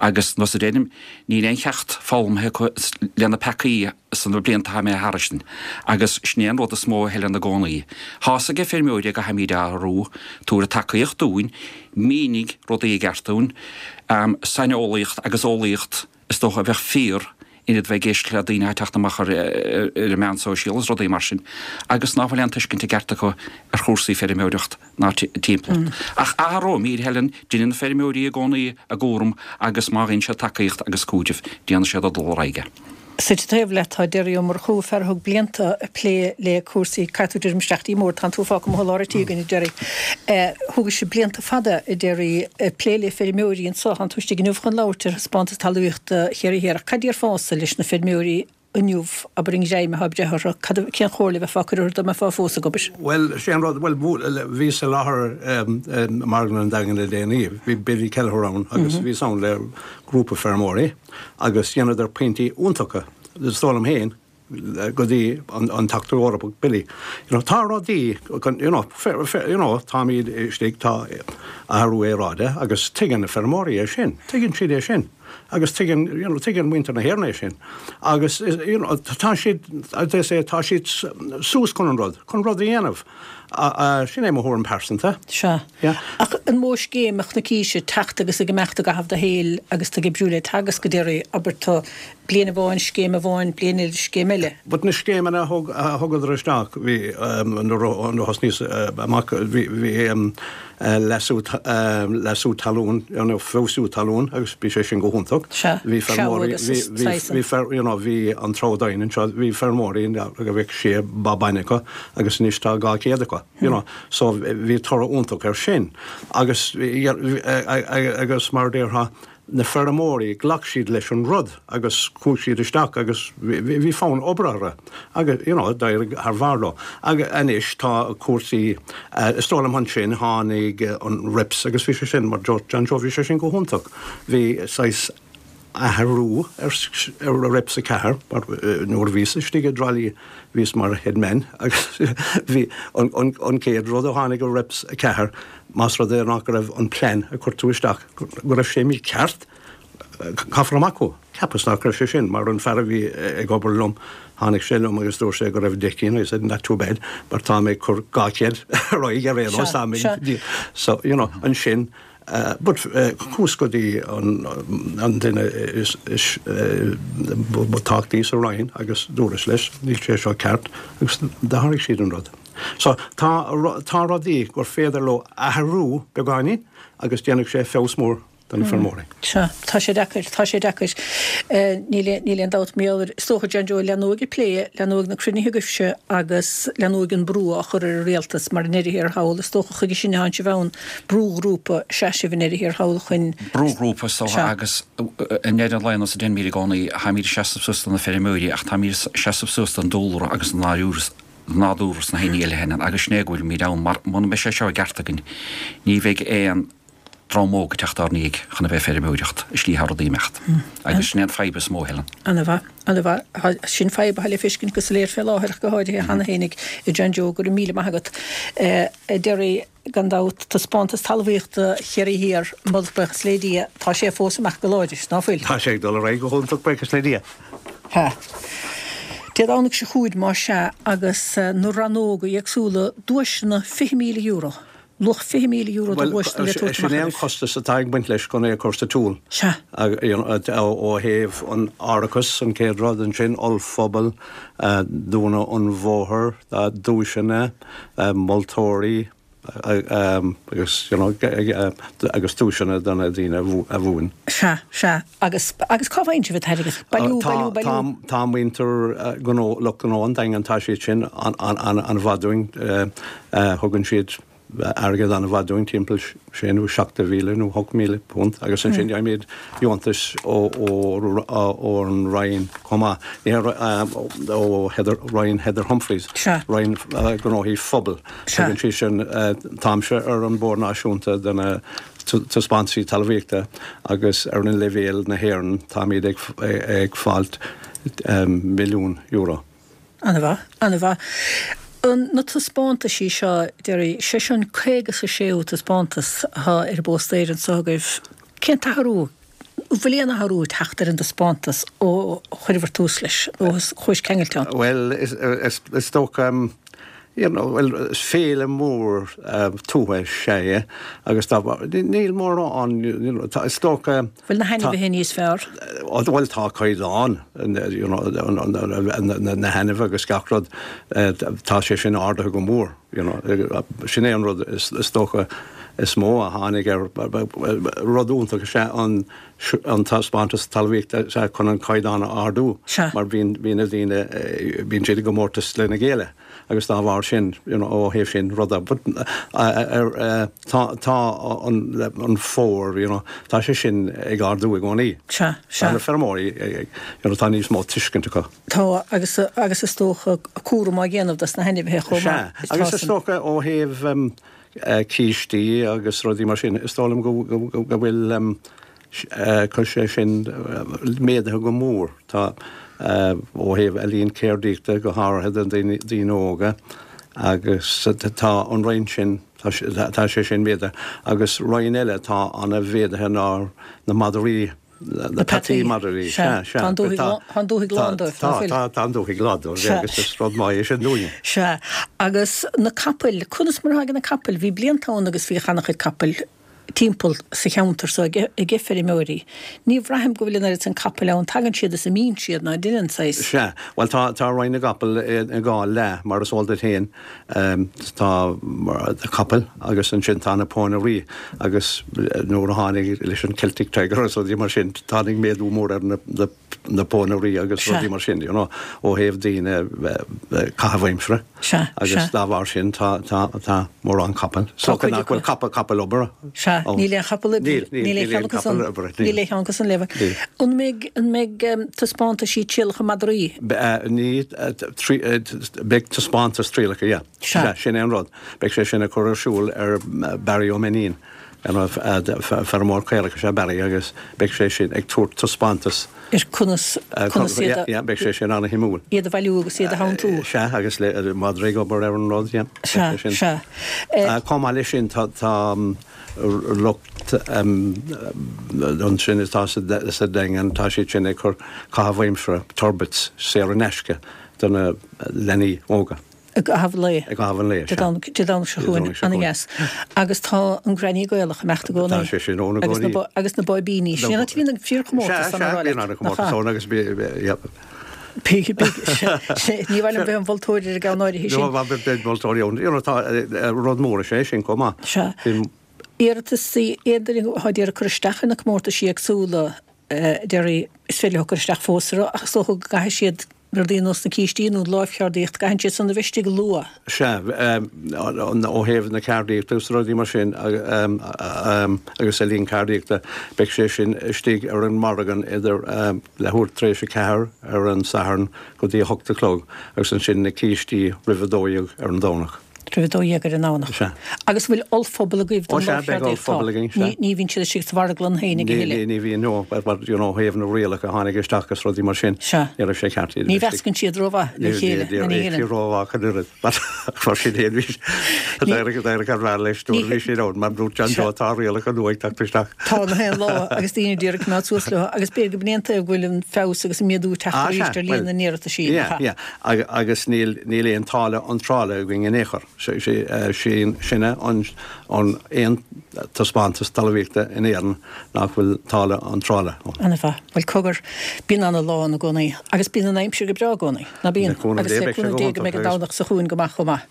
Agus, nós a deirim, níl aon cheacht foghlamtha acu le na peacaí sna blianta atá imithe tharainn. Agus sin é an rud is mó a Helen i gcónaí. Tá's age feirmeoirí go gcaithfimid athrú, tabhair tacaíocht dúinn, mínigh rudaí i gceart dúinn, saineolaíocht agus eolaíocht is dócha a bheadh fíor in ionad bheith ag éisteacht le daoine atá ag teacht amach ar an meán sóisialta is rudaí mar sin agus ná fuil aon tuiscint i gceart acu ar chúrsaí feirmeoireacht ná timpeallacht. Ach athróimid, Helen, deineann na feirmeoirí i gcónaí a gcúram agus má fhaigheann siad tacaíocht agus cúiteamh, déanfaidh siad a dul ar aghaidh. Suite taobh leat tá Derry Ó Murchú, fear a thug blianta ag plé le cúrsaí, caithfidh tú druidim isteach dtí an mbord, tánn tú fágtha amuigh i lár an tí againn, a Derry. Thógais blianta fada, a Derry, ag plé le feirmeoirí anseo, tánn tú istigh inniu chun labhairt ar thaispeántas talmhaíochta Chiarraí Thiar, ach cad déarfása leis na feirmeoirí inniu, abair an ghreim atá ag breith orthu, cad, cén chomhairle a bheifeá ag cur orthu dá mbeifeá fós ag obair? Bhuel, sé an rud, bhuel, bhíos i láthair i Marglann an Daingin le déanaí, bhí Billy Kelleher ann agus bhíos ann le grúpa feirmeoirí agus dheineadar pointí iontacha, is dóigh liom féin, go dtí an Teachta Eorpach Billy. You know, tá rudaí, you know, you know, táimid istigh, tá athrú aeráide agus tuigeann na feirmeoirí é sin, tuigeann siad é sin. Agus tuigeann, you know, tuigeann muintir na hÉireann é sin. Agus, you know, tá siad, as they say, tá siad suas chun an rud, chun rud a dhéanamh. Sin é mo thuairim pearsanta. Sea. Yeah. Ach an mó scéim a chonaicís ag teacht agus ag imeacht i gcaitheamh do shaoil agus tú ag oibriú le Teagasc a Derry, abair tú, bliain amháin scéim amháin, bliain eile scéim eile. But na scéimeanna a thug, a thugadar isteach, bhí, nuair a thosnaíos amach, bhí, bhí, leasú, leasú talún, you know, feabhsú talún agus bhí sé sin go hiontach. Sea, Bhí feirmeoirí, agus bhí, bhí, saghas. bhí feir, you know, bhí an Treabhadh Doimhin anseo, bhí feirmeoirí go bheadh sé ba bainne acu agus anois tá 200 acu, you know. So bhí toradh iontach air sin. Agus, agus mar a déarfá, na feirmeoirí, ghlac siad leis an rud agus chuaigh siad isteach agus bhí fonn oibre orthu agus you know d'éirigh thar bharr leo. Agus anois tá cúrsaí, is dóigh liom ansin tháinig an RIPS agus bhí sé sin, mar dúirt John Joe, bhí sé sin go hiontach. Bhí saghas athrú ar RIPS 4 mar nuair a bhíos istigh i dTrá Lí bhíos mar headman agus bhí an chéad rud a tháinig i RIPS 4 más rud é nach raibh an plean a chuir tú isteach go raibh sé mícheart, caithfear amach thú. Cheapas nach raibh sé sin, mar an fear a bhí ag obair liom, tháinig sé liom agus dúirt sé go raibh 10 cinn, I said not too bad, but tá mé ag cur 200 ar aghaidh ar aon nós, tá mé, so, you know, ansin, but chuas go dtí an duine is ba tábhachtaí sa Roinn agus dúras leis, níl sé seo ceart, agus d'athraigh siad an rud. So, tá, tá rudaí gur féidir leo athrú beagáinín agus déanfaidh sé feabhas mór do na feirmeoirí. Sea, tá sé deacair, tá sé deacair. Níl, níl aon dabht mar gheall air. Is dócha, John Joe, leanfaidh an plé, leanfaidh na cruinnithe agaibhse agus leanfaidh an brú á chur ar an rialtas mar i ndeireadh thiar thall, is dócha chuige sin atánn sibh ann, brúghrúpa is ea sibh i ndeireadh thiar thall chun. Brúghrúpa is dócha Sea. agus i ndeireadh an lae nós a deirimid i gcónaí, táimid ag seasamh suas do na feirmeoirí ach táimid ag seasamh suas don dúlra agus don nádúr sna haon ní eile cheana agus sin é go bhfuilimid ann mar muna mbeidh sé seo i gceart againn ní bheidh aon dream óg ag teacht ár ndiaidh chun a bheith ag feirmeoireacht i slí atá rudaí ag imeacht agus sin é an fadhb is mó Helen. Ana-mhaith, ana-mhaith. Sin fadhb atá le feiscint go soiléir fé láthair ach go háirithe cheana fhéinig a John Joe, go raibh míle maith agat. A Derry, gan dabht, taispeántas talmhaíochta Chiarraí Thiar, moladh buíochas le Dia, tá sé fós ag imeacht go láidir, ná fuil? Tá sé ag dul ar aghaidh go hiontach, buíochas le Dia. Sea. Dé Domhnaigh seo chugainn, más ea, agus na rannóga éagsúla, duaiseanna €20,000, luach €20,000 de dhuaiseanna le tabhairt Sin amach é an oraibh. costas atá ag baint leis chun é a chur sa tsiúl. Sea. Ó thaobh an árachas, an chéad rud, ansin ollphuball, dúnadh an bhóthair, duaiseanna, moltóirí, agus you know agus duaiseanna do na daoine a bhuann. Sea, sea. Agus, agus cá bhfaigheann sibh an t-airgead? Bailiú, bailiú, bailiú. Tá, tá muintir gnó, lucht gnó an Daingin, tá siad sin an-mhaith dúinn, thugann siad. airgead an-mhaith dúinn, timpeall sé nó 7,000 nó 8,000 punt agus ansin gheibhimid deontais ó ón Roinn chomh maith, ní ó Heather, Roinn Heather Humphreys, Roinn Gnóthaí Phobail. Tugann sí sin, táimse ar an Bord Náisiúnta de na Taispeántaisí Talmhaíochta agus ar an leibhéal na hÉireann táimid ag fáilt €1 milliún. An-mhaith, an-mhaith. Na taispeántaisí seo, Derry, sé seo an 56ú taispeántas atá ar an bpóstaer anseo agaibh. Cén t-athrú, an bhfuil aon athrú ag teacht ar an dtaispeántas ó chuireabhair tús leis, ó chuais ceangailte ann? Bhuel, is dócha, you know, bhuel, is féile mór tuaithe is ea é agus dá bharr, níl mórán, you know, is dócha, Bhfuil na hainmhithe níos fearr? Bhuel tá caighdeán you know na hainmhithe agus gach rud, tá sé sin ardaithe go mór you know. Sin é an rud is dócha is mó a tháinig ar, rud iontach is ea an an taispeántas talmhaíochta is ea chun an caighdeán a ardú mar bíonn bíonn na daoine, bíonn siad i gcomórtas lena chéile. agus dá bharr sin, you know, ó thaobh sin ruda, but tá, tá an, an fómhar, you know, tá sé sin ag ardú i gcónaí. Sea, sea. Tá na feirmeoirí ag, you know, tá níos mó tuiscint acu. Tá, agus, agus is dócha cúram á dhéanamh dos na hainmhithe chomh maith. Sea, agus is dócha ó thaobh cístí agus rudaí mar sin, is dóigh liom go, go, go bhfuil, Tá sé sin méadaithe go mór. Tá, ó thaobh ealaín ceardaíochta, go háirithe do daoine óga, agus tá an roinn sin, tá sé sin méadaithe. Agus roinn eile atá ana-mhéadaithe ná na madraí, na peataí madraí. Sea, sea. Tá an dúthaigh lán dóibh, nach bhfuil? Tá, tá an dúthaigh lán dóibh agus is rud maith é sin dúinne. Sea. Agus na capaill, conas mar atá ag na capaill? Bhí blianta ann agus bhíodh ana-chuid capaill. timpeall sa cheantar so ag feirmeoirí. Ní bhraithim go bhfuil an oiread san capaill ann. Tagann siad is imíonn siad, ná deineann saghas. Sea. Bhuel, tá, tá Roinn na gCapall i dhá leath, mar is eol duit féin. Tá capaill agus ansin tá na pónairí agus nuair a tháinig leis an Celtic Tiger agus rudaí mar sin, tháinig méadú mór ar na, na, na pónairí agus rudaí mar sin, you know, ó thaobh daoine caitheamh aimsire. Sea, Agus sea. dá bharr sin tá, tá, tá mórán capall. Tá cuid nach bhfuil capall, capall oibre Sea, ann. níl aon chapall oibre. Níl, níl, Níl aon níl aon cheann acu san, chapall oibre, níl. níl aon cheann acu san le. Níl. An mbeidh, an mbeidh taispeántaisí trialacha madraí? Ní, trí, beidh taispeántas trialacha, yeah. Sea. Sea, sin é an rud. Beidh sé sin á chur ar siúl ar Barry Ó Mainnín, feirmeoir caorach is ea Barry agus beidh sé sin ag tabhairt taispeántas. ar conas, conas iad a. Yeah, beidh sé sin an-shuimiúil. iad a bhailiú agus iad a theanntú. Sea, agus le madraí ag obair ar an rud, yeah. Sea, sea. Chomh maith leis sin, tá, tá lucht ansin atá sa Daingean, tá siad sin ag cur caitheamh aimsire, turbits, saor in aisce do na leanaí óga. I gcaitheamh an lae. I gcaitheamh an lae, sea. Dé Domhnaigh seo chugainn, ana-dheas. Agus tá an Granny Gaelach ag imeacht i gcónaí. Tá sé sin ann i gcónaí. Agus na báibíní. Sin an áit a bhíonn an fíorchomórtas ann, a rá leat. Sea, sea, bíonn an-chomórtas ann agus bí, yeah. Ní mhaith liom bheith im mholtóir ar an gceann áirithe sin. No, beidh moltóirí ann. You know, tá rud mór is ea é sin chomh maith. Sea. Iarratasaí, aon duine atá ag iarraidh cur isteach ar na comórtaisí éagsúla, Derry, is féidir leo cur isteach fós orthu ach is dócha go gcaithfidh siad rudaí ar nós na cístí nó an lámhcheardaíocht, gcaitheann siad san a bheith istigh luath. Sea, ó thaobh na ceardaíochta agus rudaí mar sin agus ealaín ceardaíochta, beidh sé sin istigh ar an margadh idir leathuair tar éis 4 ar an Satharn go dtí 8 a chlog agus ansin na cístí roimh 12 ar an Domhnach. Roimh 12 ar an nDomhnach. Sea. Agus an bhfuil ollphuball agaibh don Ó sea, beidh lámhcheardaíocht? ollphuball againn, sea. Ní bhíonn siad istigh sa mharglann féin a thuilleadh. Ní bhíonn, no, but you know, ó thaobh na rialacha a tháinig isteach agus rudaí mar sin, Sea. ní raibh sé ceart iad a Ní bheith istigh. mheascann siad rómhaith le chéile, Ní, ní, ní ní rómhaith ach an oiread, but mar sin féin bhí, d'éirigh, d'éirigh thar barr leis nuair a bhí siad ann, mar dúirt John Joe, tá rialacha nua ag teacht isteach. Tá na haon lá agus daoine ag iarraidh coimeád suas leo agus b'fhéidir go b'in é an taobh go bhfuil an feabhas agus an méadú ag teacht Ah, arís sea, ar líon well, na n-iarrataisí, yeah, nach ea? yeah. Agus níl aon táille iontrála againn in aon chor. Sinne an aon taispeántas talmhaíochta in Éirinn nach bhfuil táille iontrála ann. Ana-mhaith. Bhuel, cogar, bíonn ana-lá ann i gcónaí. Agus bíonn an aimsir go breá i gcónaí, ná bíonn? Le cúnamh Agus Dé, le beidh sé cúnamh go Dé go hiontach mbeidh an agus. Domhnach seo chugainn go maith chomh maith.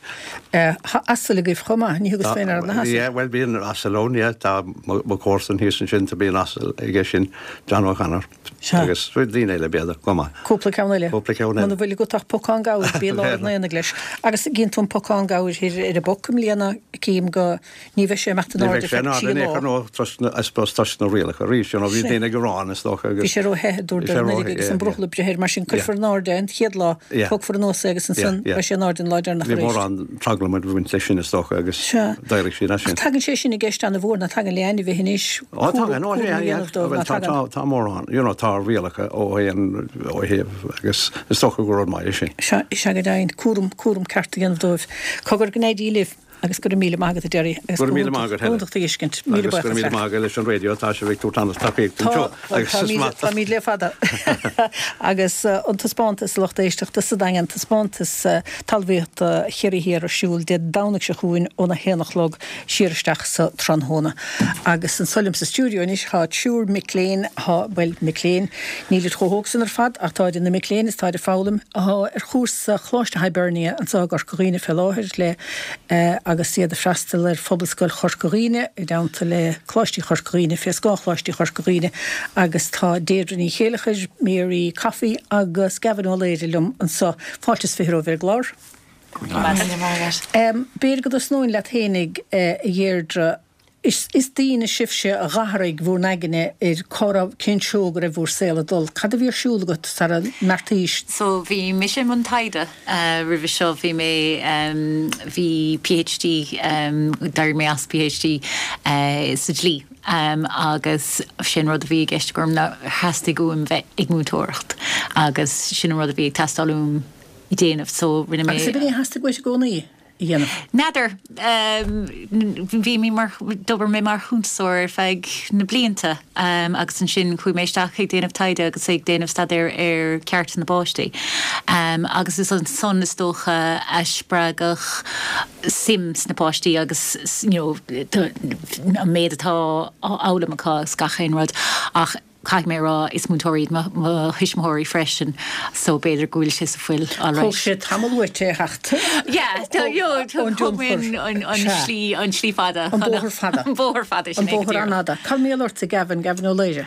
Tá asail agaibh chomh maith, ní thugas féin aire do na hasail. Yeah, bhuel bíonn asal ann, yeah. Tá mo chomharsan thíos ansin, tá bíonn asal aige sin, John O'Connor. Sea. Agus daoine eile, b'fhéidir, chomh maith. Cúpla ceann eile. Cúpla ceann eile. Muna bhfuil agat ach pocán gabhair, bí i lár an aonaigh leis. Agus gíonn tú an pocán gabhair. láthair ar an bpoc i mbliana, cím go, ní bheidh sé ag imeacht in Ní airde bheidh sé feadh in 3 airde in aon lá. chor nó toisc na, I suppose toisc na rialacha arís, you know, bhí Sea. daoine ag gearán is dócha Bhí agus sé ró-the, a bhí dúradar sé anuraidh ró-the, agus yeah, an brothall yeah. ag breith air, mar sin Yeah. cuirfear in airde é an chéad lá, Yeah. tógfar anuas é agus Yeah, ansan yeah. beidh sé in airde an lá deireanach Bhí arís. mórán traglam ag baint leis sin is dócha agus Sea. d'éirigh siad as Ach sin. tagann sé sin i gceist an-mhór, ná tagann le ainmhithe anois, Ó cúram, tagann, ó cúram a yeah, yeah. dhéanamh dóibh, Bhuel ná tá, tagann? tá, tá mórán, you know, tá rialacha ó aon, ó thaobh agus is dócha gur rud maith é sin. Sea, is ea go deimhin, cúram, cúram ceart a dhéanamh dóibh. Cogar go n-éirí libh agus go raibh míle maith agat a Gerry agus Go raibh go míle maith hiontach, agat go Helen. hiontach do fheiscint. Míle Agus go raibh buíochas míle leat. maith agat leis an raidió, tá sibh ag tabhairt an-tacaíocht Tá, anseo bhuel agus is táimid, maith. táimid le fada. Agus an taispeántas, a lucht éisteachta sa Daingean, taispeántas talmhaíochta Chiarraí Thiar ar siúl Dé Domhnaigh seo chugainn óna haon a chlog siar isteach sa tráthnóna. Agus anso liom sa stiúideo anois tá triúr mic léinn, tá, bhuel, mic léinn, nílid chomh hóg san ar fad ach táid ina mic léinn is táid ag foghlaim, atá ar chúrsa Choláiste Hibernia anseo i gCorca Dhuibhne fé láthair le, agus iad ag freastal ar Phobalscoil Chorca Dhuibhne i dteannta le Coláistí Chorca Dhuibhne, fé scáth Choláistí Chorca Dhuibhne agus tá Deirdre Ní Chéileachair, Mary Coffey agus Gavin Ó Laoire liom anseo. Fáilte is 20 romhaibh ar an gclár. B'fhéidir go dtosnóinn leat fhéinig, a Dheirdre. Is daoine sibhse a d'athraigh bhur n-aigne ar cá raibh, cén treo go raibh bhur saol ag dul. Cad a bhí ar siúl agat sara mbeartaís? So bhí mise i mbun taighde roimhe seo, bhí mé, bhí PhD, d'éirigh mé as PhD sa dlí agus sin rud a bhí i gceist agam ná theastaigh uaim bheith ag múinteoireacht agus sin an rud a bhí ag teastáil uaim déanamh so rinne mé. Agus ab in é a theastaigh uait i gcónaí a dhéanamh? N'fheadar. Bhí mé mar, d'obair mé mar chuntasóir ar feadh na blianta agus ansin chuaigh mé isteach ag déanamh taighde agus ag déanamh staidéir ar cearta na bpáistí agus is ansan is dócha a spreagadh suim sna páistí agus you know an méid atá á fhoghlaim acu agus gach aon rud ach Caithfidh mé a rá, is múinteoirí iad mo thuismitheoirí freisin so b'fhéidir go bhfuil sé sa fuil alright. Thóg sé tamall uait é a theacht ón tionchar. An slí, an slí fada. An bóthar fada. An bóthar fada, sin An é go bóthar díreach. an-fhada. Cad mar gheall ortsa, Gavin, Gavin Ó Laoire?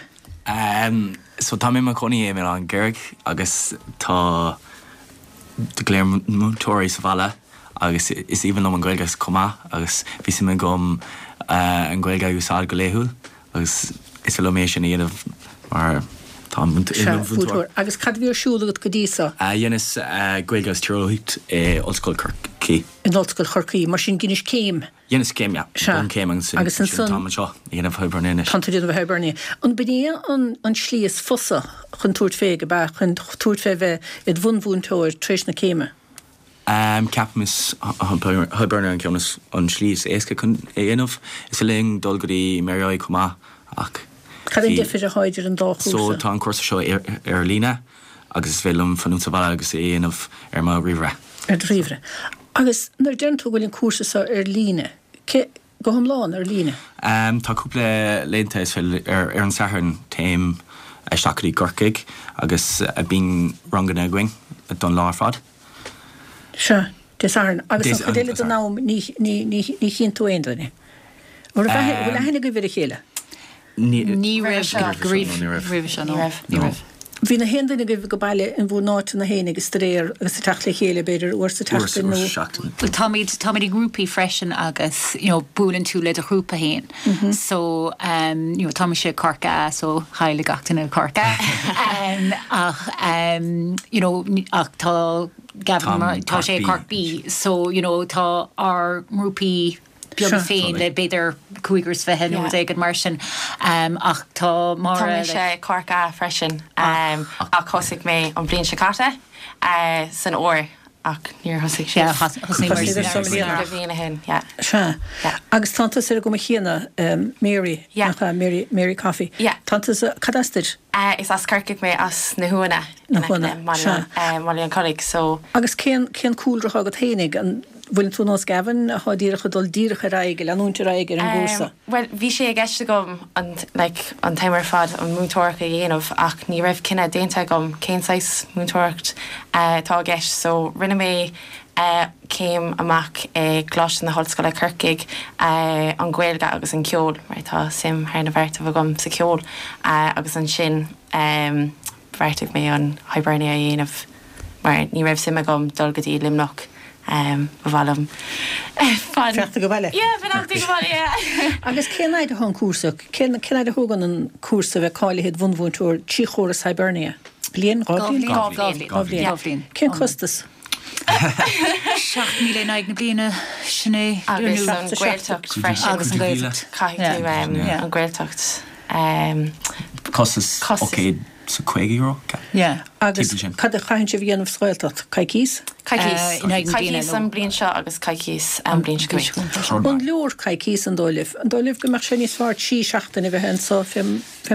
So tá mé i mo chónaí i mBaile Átha an Ghaorthaidh agus tá go leor múinteoirí sa bhaile agus is aoibhinn liom an Ghaeilge chomh maith agus bhí suim agam an Ghaeilge a úsáid go laethúil. Agus is féidir liom é sin a dhéanamh mar táim i mo Sea, mhúinteoir. múinteoir. Agus cad a bhí ar siúl agat go dtí so? Dheineas Gaeilge agus Tíreolaíocht i Ollscoil Chorcaí. In Ollscoil Chorcaí. Mar sin dheinis céim? Dheineas céim, yeah. Sea. Bunchéim agus Agus ansin ansan. táim anseo ag déanamh Hibernia anois. Tánn tú ag déanamh Hibernia. An b'in é an an slí is fusa chun tabhairt fé, ab ea, chun tabhairt fé bheith id bhunmhúinteoir tar éis na céime? Ceapaim is Hibernia an ceann is an slí is éasca chun é a dhéanamh. Is féidir linn dul go dtí Mary I chomh maith ach Cad é an bhí deifir atá idir an dá So chúrsa? tá an cúrsa seo ar líne agus is féidir liom fanúint sa bhaile agus é a dhéanamh ar mo ríomhaire. Ar do ríomhaire. Agus nuair a deireann tú go bhfuil an cúrsa seo ar líne, cé, go hiomlán ar líne? Tá cúpla laethanta is féidir, ar an Satharn téim isteach go dtí Corcaigh agus bíonn ranganna againn don lá ar fad. Sea, Dé Sathairn. Agus an chuid eile den am ní chíonn tú aon duine. An bhfuil aithne agaibh ar a chéile? Ní raibh roimhe seo, no. Ní raibh. Bhí na haon duine agaibh ag baile in bhur n-áiteanna fhéinig ag staidéar agus ag teacht le chéile, b'fhéidir, uair sa tseachtain nó. Uair sa tseachtain. Bhuel táimid, táimid i ngrúpaí freisin agus you know buaileann tú le do ghrúpa fhéin. So um you know tá mise i Corc A so chaill gach duine i Corc A. Um ach um you know ach tá Gavin Tá tá sé i Corc B so you know tá ár ngrúpaí beaga féin le b'fhéidir cúigear is fiche nó rud éigin mar sin. Um ach tá Máire Tá mise i Corc A freisin um ach thosaigh mé an bhliain seo caite san fhómhar ach níor thosaigh Yeah, sibh. thosaigh muid Thosaigh sibh i mbliana. Cúpla bliain ó shin, yeah. Sea. Yeah. Agus tánn tusa ar an gcuma chéanna, Mary, Yeah. nach ea? Mary, Mary Coffey. Yeah. Tánn tusa, cad as duit? Is as Corcaigh mé, as na hUanna, Na in aice hUanna, le Baile sea. an, Baile an Chollaigh, so. Agus cén, cén cúlra atá agat fhéinig? An bhfuileann tú nós Gavin, atá díreach ag dul díreach ar aghaidh, ag leanúint ar aghaidh ar an gcúrsa? Bhuel, bhí sé i gceist agam an, like, an t-am ar fad an múinteoireacht a dhéanamh ach ní raibh cinneadh déanta agam cén saghas múinteoireacht atá i gceist so rinne mé céim amach i gColáiste na hOllscoile Corcaigh, an Ghaeilge agus an ceol mar tá suim thar na beartaibh agam sa cheol agus ansin bheartaigh mé an Hibernia a dhéanamh mar ní raibh suim agam dul go dtí Luimneach. Ba mhaith liom fan. Fanacht ag baile? Yeah, fanacht ag baile, yeah. Agus cén fhaid atá an cúrsa? Cén cén fhaid a thógann an cúrsa a bheith cáilithe id bhunmhúinteoir trí chóras Hibernia? Bliain? Dhá bhliain? Dhá bhliain. Dhá bhliain. Dhá bhliain. Cén costas? 7,000 in aghaidh na bliana, sin é. Agus an Ghaeltacht freisin. Agus an Ghaeltacht. Caithfidh tú an Ghaeltacht. Costas €850, ceap. Yeah. Agus cad a chaitheann sibh a dhéanamh sa Ghaeltacht? Coicís? Coicís. In aghaidh na bliana. Coicís an bhliain seo agus coicís an bhliain seo chugainn. An leor coicís an dóigh libh? An dóigh libh go mbeadh sé níos fearr trí seachtaine a bheith anso fé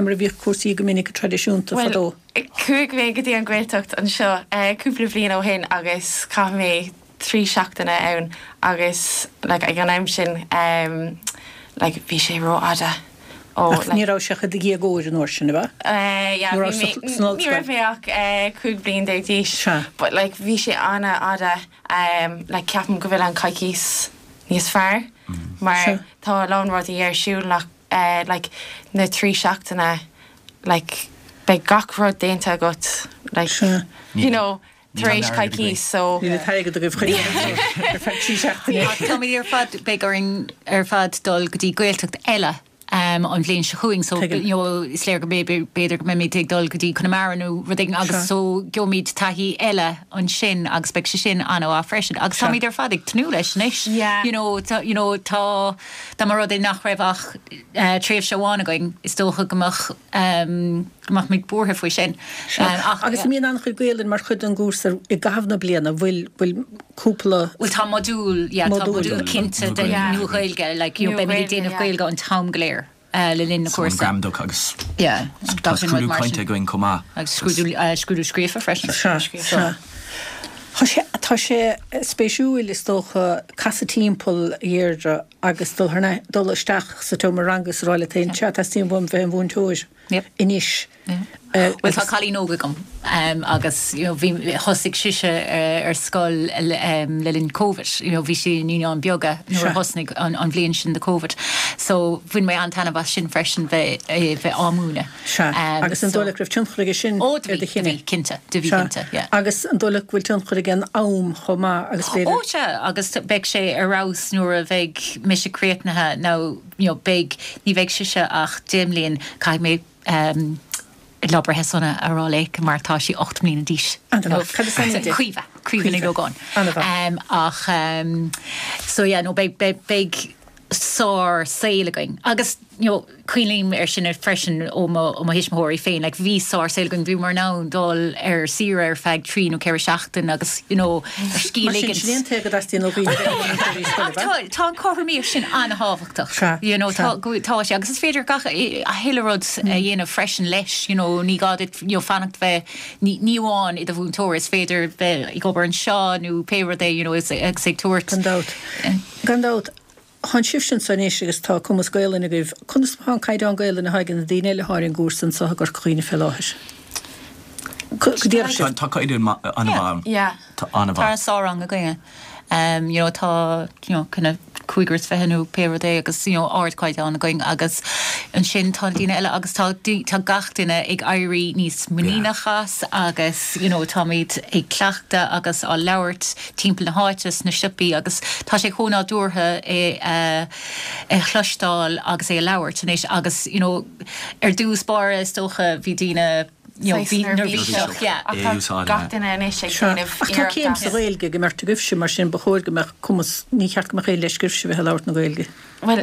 mar a bhíodh cúrsaí go minic traidisiúnta fadó? Bhuel, chuaigh mé go dtí an Ghaeltacht anseo cúpla bliain ó shin agus chaith mé trí seachtaine ann agus like ag an am sin like bhí sé rófhada ó Ach ní raibh sé ach i do dhéagóir an uair sin, ab ea? Eh yeah Ní bhí raibh mé san ní ollscoil. raibh mé ach 15 bliain d'aois Sea. but like bhí sé an-fhada like ceapaim go bhfuil an coicís níos fearr mar Sea. tá a lán rudaí ar siúl nach like na trí seachtaine like beidh gach rud déanta agat like Sea. you know Níl tar an éis airgead againn. coicís so. Níl an t-airgead agaibh chun ar feadh trí seachtaine. Ach táimid ar fad, beidh orainn ar fad dul go dtí Gaeltacht eile an bhliain seo chugainn so Tuigim. you know is léir go mb'fhéidir b'fhéidir go mbeimid ag dul go dtí Conamara nó rud éigin agus Seo. so gheobhaimid taithí eile ansin agus beidh sé sin an-mhaith freisin agus Seo. táimid ar fad ag tnúth leis anois. Yeah. You know tá you know tá dá mba rud é nach raibh ach tréimhse amháin againn is dócha go mbeadh go mbeadh muid buartha faoi sin. Sea. Agus an mbíonn an-chuid Gaelainn mar chuid den gcúrsa i gcaitheamh na bliana? Bhfuil, bhfuil cúpla. Bhuel tá modúl, yeah, tá Modúl. modúl cinnte de Nua-Ghaeilge, like, you know, beimid ag déanamh Gaeilge an t-am go léir le linn na So an cúrsa. gramadach agus Yeah, tá gach aon rud scrúdú mar cainte sin. againn chomh maith. Agus scrúdú, scrúdú scríofa freisin. Sea, sea. Tá sé, tá sé spéisiúil is dócha casadh timpeall a Dheirdre agus dul thar n-, dul isteach sa tseomra ranga is a rá leat féin, sea, teastaíonn uaim bheith im mhúinteoir. anois. Bhuel tá cailín óg agam agus you know bhí, thosaigh sise ar scoil le linn Covid, you know bhí sí i Naíonáin Bheaga nuair a thosnaigh an bhliain sin de Covid. So bhain mé an-taitneamh as sin freisin bheith bheith á múineadh. Sea. Agus an dóigh leat go raibh tionchar aige sin Ó ar do do bhí, do chinneadh? bhí, cinnte, do bhí Sea. cinnte, yeah. Agus an dóigh leat go bhfuil tionchar ag an am chomh maith agus b'fhéidir. Ó sea, agus beidh sé ar fheabhas nuair a bheidh mise críochnaithe nó you know beidh, ní bheidh sise ach 10 mbliain, caithfidh mé ehm lá breithe sona a rá léi mar tá sí 8 mbliana d'aois. An-mhaith. Cad is ainm di? Caoimhe, Caoimhe Ní Ógáin. An-mhaith. Ehm ach ehm so yeah no beidh, beidh, beidh sár saol againn agus you know cuimhním air sin freisin ó mo, ó mo thuismitheoirí féin like bhí sár saol againn, bhíomar in ann dul ar saoire ar feadh trí nó ceithre seachtain agus you know ar scíth Mar sin, ligint. sin é an t-éag a dteastaíonn ó dhaoine bheith ina múinteoirí scoile, Ach tá, tá an chothromaíocht sin an-thábhachtach. Sea, You know, sea. tá, go, tá sé agus is féidir gach, a thuilleadh rud a dhéanamh freisin leis, you know, ní gá duit, you know, fanacht bheith, ní, ní amháin i do mhúinteoir, is féidir bheith ag obair anseo nó pé rud é, you know, is, agus ag tabhairt. Gan dabht. Gan dabht. Tánn sibhse anso anois agus tá cumas Gaelainne agaibh. Conas atá an caighdeán Gaelainne atá ag na daoine eile atá ar an gcúrsa anso i gCorca Dhuibhne fé láthair? Go déarfadh sibh. Tá caighdeán an-mhaith ann. Yeah. Tá an-mhaith. Tá sár-rang againne. You know tá you know kind of cúigear is fiche nó pé rud é agus you know ardchaighdeán againn agus ansin tá na daoine eile agus tá tá gach duine ag éirí níos muiníneach as agus you know táimid ag cleachtadh agus á labhairt timpeall na háite sna siopaí agus tá sé chomh nádúrtha é a chloisteáil agus é a labhairt anois agus you know ar dtús báire is dócha bhí daoine you know bhí neirbhíseach yeah. Ach tá gach duine anois ag déanamh Ach tá céim sa Ghaeilge ag an mbeirt agaibhse mar sin ba chóir go mbeadh cumas, ní cheart go mbeadh aon leisce oraibhse bheith ag labhairt na Gaeilge. Bhuel,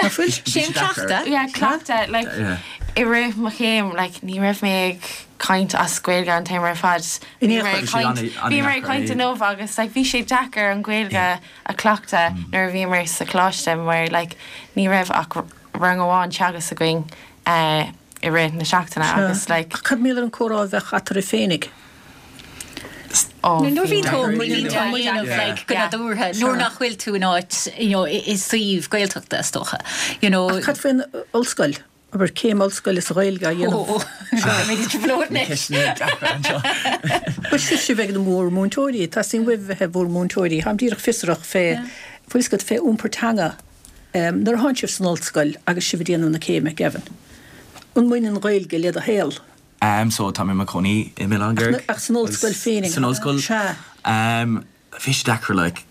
Nach bhfuil? Sé an cleachtadh. Yeah, cleachtadh. Like, i rith mo chéim, like, ní raibh mé ag caint as Gaeilge an t-am ar fad. In Bhí aon mé ag chor. caint, bhí mé ag caint inniu agus, like, bhí sé deacair an Ghaeilge a chleachtadh nuair a bhíomar sa choláiste mar, like, ní raibh ach rang amháin teagasc againn eh, i rith na seachtaine agus, like, Ach cad mar gheall ar an comhrá a bheadh eatarthu féinig? Nuair a bhíonn tú á dhéanamh like go nádúrtha, nuair nach bhfuil tú in áit, you know, i suíomh Gaeltachta is dócha, you know. Ach cad faoin ollscoil? Abair, céim ollscoile sa Ghaeilge á dhéanamh. Ó, beimid i dtrioblóid anois. Bhuel, sibhse a bheidh in bhur múinteoirí, teastaíonn uaibh a bheith i bhur múinteoirí. Táim díreach fiosrach fé, bhfuil fhios agat, fé iompar teanga. Nuair atánn sibh san ollscoil agus sibh ag déanamh na céime, Gavin, an mbaineann an Ghaeilge le do shaol? Am so tá mé i mo chónaí i m'Oileán Dhearg. Ach san ollscoil féinig? San ollscoil. Sea. Am Bhí sé deacair like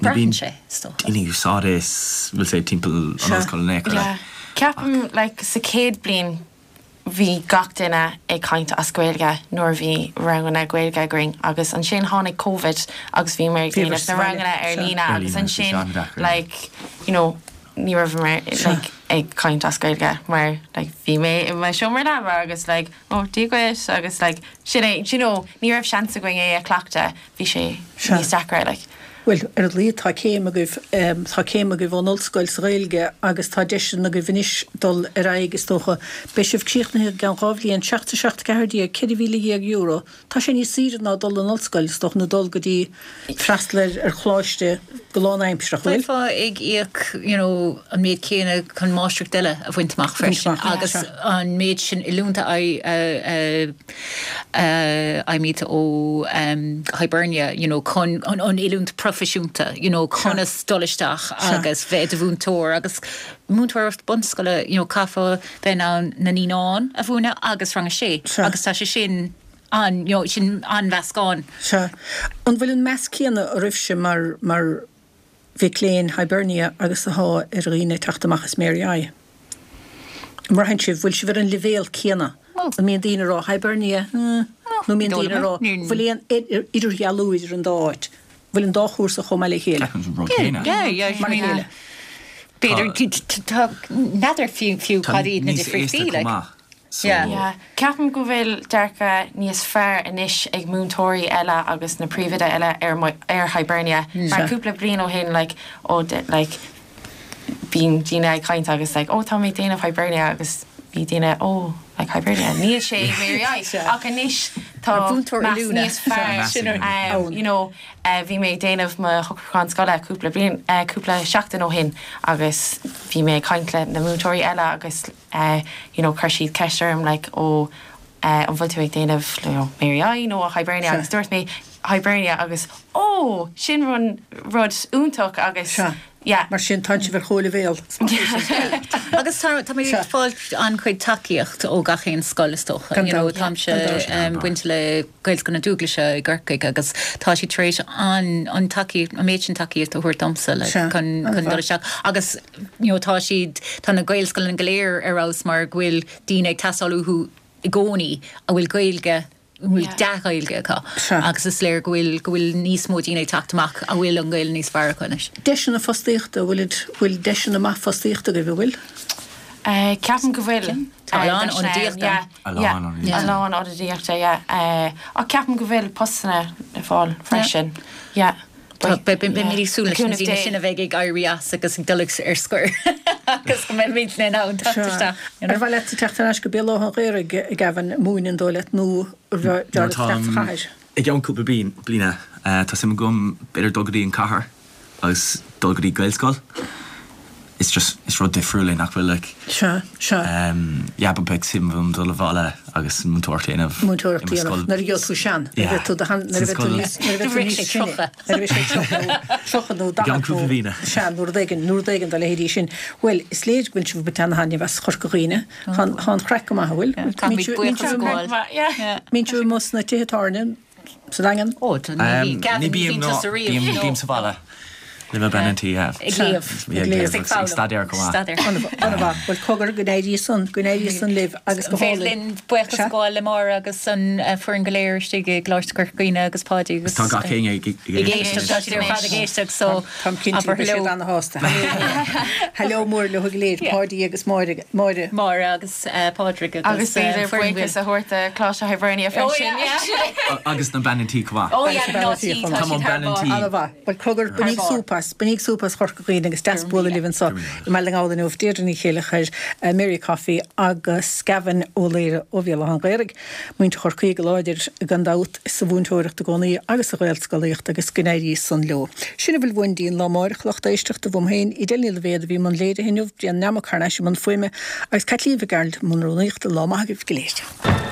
ní bhíonn daoine ag úsáid é bhfuil sé timpeall an ollscoil in aon chor like. Ceapaim like sa chéad bliain bhí gach duine ag caint as Gaeilge nuair a bhí ranganna Gaeilge againn agus ansin tháinig Covid agus bhíomar ag déanamh na ranganna ar líne agus ansin like you know ní raibh like ag caint as Gaeilge mar like bhí mé i mo seomra leaba agus like oh Dia dhuit agus like sin é do you know ní raibh seans againn é a chleachtadh bhí sé níos deacra like. Bhuel, ar a laghad tá céim agaibh, tá céim agaibh ón ollscoil sa Ghaeilge agus tá deiseanna agaibh anois dul ar aghaidh is dócha. Beidh sibh críochnaithe i gceann 2 bhliain, 7 7 14, €14,000. Tá sé níos saoire ná dul in ollscoil, is dócha, nó dul go dtí freastal ar ar choláiste go lánaimsearach, an bhfuil? Bheifeá ag íoc you know an méid céanna chun máistreacht eile a bhaint amach freisin agus an méid sin oiliúint a fhaighimid ó Hibernia you know chun an oiliúint proifisiúnta you know conas dul isteach agus bheith i do mhúinteoir agus múinteoireacht bunscoile you know caithfeá bheith in ann na naíonáin a mhúineadh agus rang a sé agus tá sé sin an, you know, sin an-mheascán. Sea. An bhfuil an meas céanna oraibhse mar, mar mhic léinn Hibernia agus athá ar dhaoine ag teacht amach as Mary I? An mbraitheann sibh, bhfuil sibh ar an leibhéal céanna? An mbíonn daoine ag rá Hibernia, eh, nó an mbíonn daoine ag rá, bhfuil aon idirdhealú idir an dá áit? Bhfuil an dá chúrsa chomh maith le chéile? Ceapaim an rud céanna. Yeah, yeah, Mar a chéile. B'fhéidir, tá, n'fheadar fiú Tá cad iad na níos difríochtaí, aosta like. chomh maith. So. Yeah. Ceapaim go bhfuil dearcadh níos fearr anois ag múinteoirí eile agus na príomhoide eile ar ar Hibernia. Mar cúpla bliain ó shin like oh like bíonn daoine ag caint agus like oh tá mé ag déanamh Hibernia agus bhí daoine oh like Hibernia níl sé Mary I ach anois tá meas níos fearr you know bhí mé ag déanamh mo shocrúchán scoile cúpla bliain cúpla seachtain ó shin agus bhí mé ag caint le na múinteoirí eile agus you know chuir siad ceist orm like oh an bhfuil tú ag déanamh you know Mary I nó Hibernia agus dúirt mé Hibernia agus oh sin run rud iontach agus Sea. yeah. Mar sin tá sibh ar chomhleibhéal. Agus tá tá mé ag fáil an-chuid tacaíocht ó gach aon scoil is dócha. Gan You know, dabht. táimse Gan dabht. um, bainte le Gaelscoil na Dúglaise i gCorcaigh agus tá siad tar éis an an tacaíocht an méid sin tacaíocht a thabhairt domsa like, Sea. chun chun dul An-mhaith. isteach agus you know, tá siad tá na Gaelscoileanna go léir ar fheabhas mar go bhfuil daoine ag teastáil uathu i gcónaí a bhfuil Gaeilge a bhfuil dea-Ghaeilge acu agus is léir go bhfuil go bhfuil níos mó daoine ag teacht amach a bhfuil an Ghaeilge níos fearr acu anois. Deiseanna fostaíochta, bhfuil bhfuil deiseanna maith fostaíochta agaibh, an bhfuil? Ceapaim go bhfuil. Tá a lán ionadaíochta. A lán ionadaíochta. A lán ionadaíochta, yeah. Ach ceapaim go bhfuil postanna le fáil freisin, yeah. Beimid ag súil leis na daoine sin a bheidh ag éirí as agus ag dul ar scor agus go mbeimid in ann teacht isteach. Ar mhaith leat teacht ar ais go Béal Átha an Ghaorthaidh, a Gavin, múineadh an dóigh leat nó ar mhaith leat isteach sa chathair? I gceann cúpla bliana, tá suim agam b'fhéidir dul go dtí an cathair. agus dul go dtí Gaelscoil it's just is rud difriúil é nach bhfuil like Sea, sea. yeah but beidh suim agam dul abhaile agus múinteoireacht a dhéanamh Múinteoireacht a dhéanamh nuair a gheobhaidh tú sean, nuair a bheidh tú do shean, nuair a bheidh tú níos, nuair a bheidh tú níos sine, nuair a bheidh sé 30 nó 30 nó 40 nó, sea, nó rud éigin, nó rud éigin dá leithéidí sin. Bhuel, is léir go bhfuil sibh ag baint ana-thaitneamh as Chorca Dhuibhne. Tá an chraic go maith, an bhfuil? Caithfimid buíochas a ghabháil. Mbíonn sibh amuigh sna tithe tábhairne? Sa Daingean? Ó, ní Gavin, ní bhíonn tusa riamh. Ní bím sa bhaile. Le mo bean an tí, yeah. Ag léamh. Ag léamh agus ag staidéar chomh maith. Staidéar. An-mhaith. Bhuel, cogar, go n-éirí san, go n-éirí san libh agus go Féidir hálainn. linn buíochas a ghabháil le Máire agus an foireann go léir istigh i gColáiste Chorca Dhuibhne agus Páidí agus. Tá gach éinne ag éisteacht. Tá siad ar fad ag éisteacht so. Táim cinnte go mbeidh siad ana-shásta. Hello mór leo go léir, Páidí agus Máire. Máire. Máire agus. Pádraig agus Agus b'fhéidir buíochas a thabhairt do Choláiste Hibernia freisin. Agus na bean an tí chomh maith. Ó yeah, mná tí, tá siad thar barr. An-mhaith. Bhuel, cogar, bainíg súp as, bainíg súp as Chorca Dhuibhne agus deas bualadh libh anseo i mBaile na nGall inniu, Deirdre Ní Chéileachair, Mary Coffey agus Gavin Ó Laoire ó Bhéal Átha an Ghaorthaidh. Muintir Chorcaí go láidir, gan dabht, sa mhúinteoireacht i gcónaí agus sa Ghaelscolaíocht agus go n-éirí san leo. Sin a bhfuil uainn go dtí an lá amáireach, lucht éisteachta, uaim féin, Edel Ní Loibhéad a bhí i mbun léirithe inniu, Brian Nammock thar n-ais i mbun fuaime agus Caitlín Mhic Gearailt i mbun rúnaíochta. Lá maith agaibh go léir.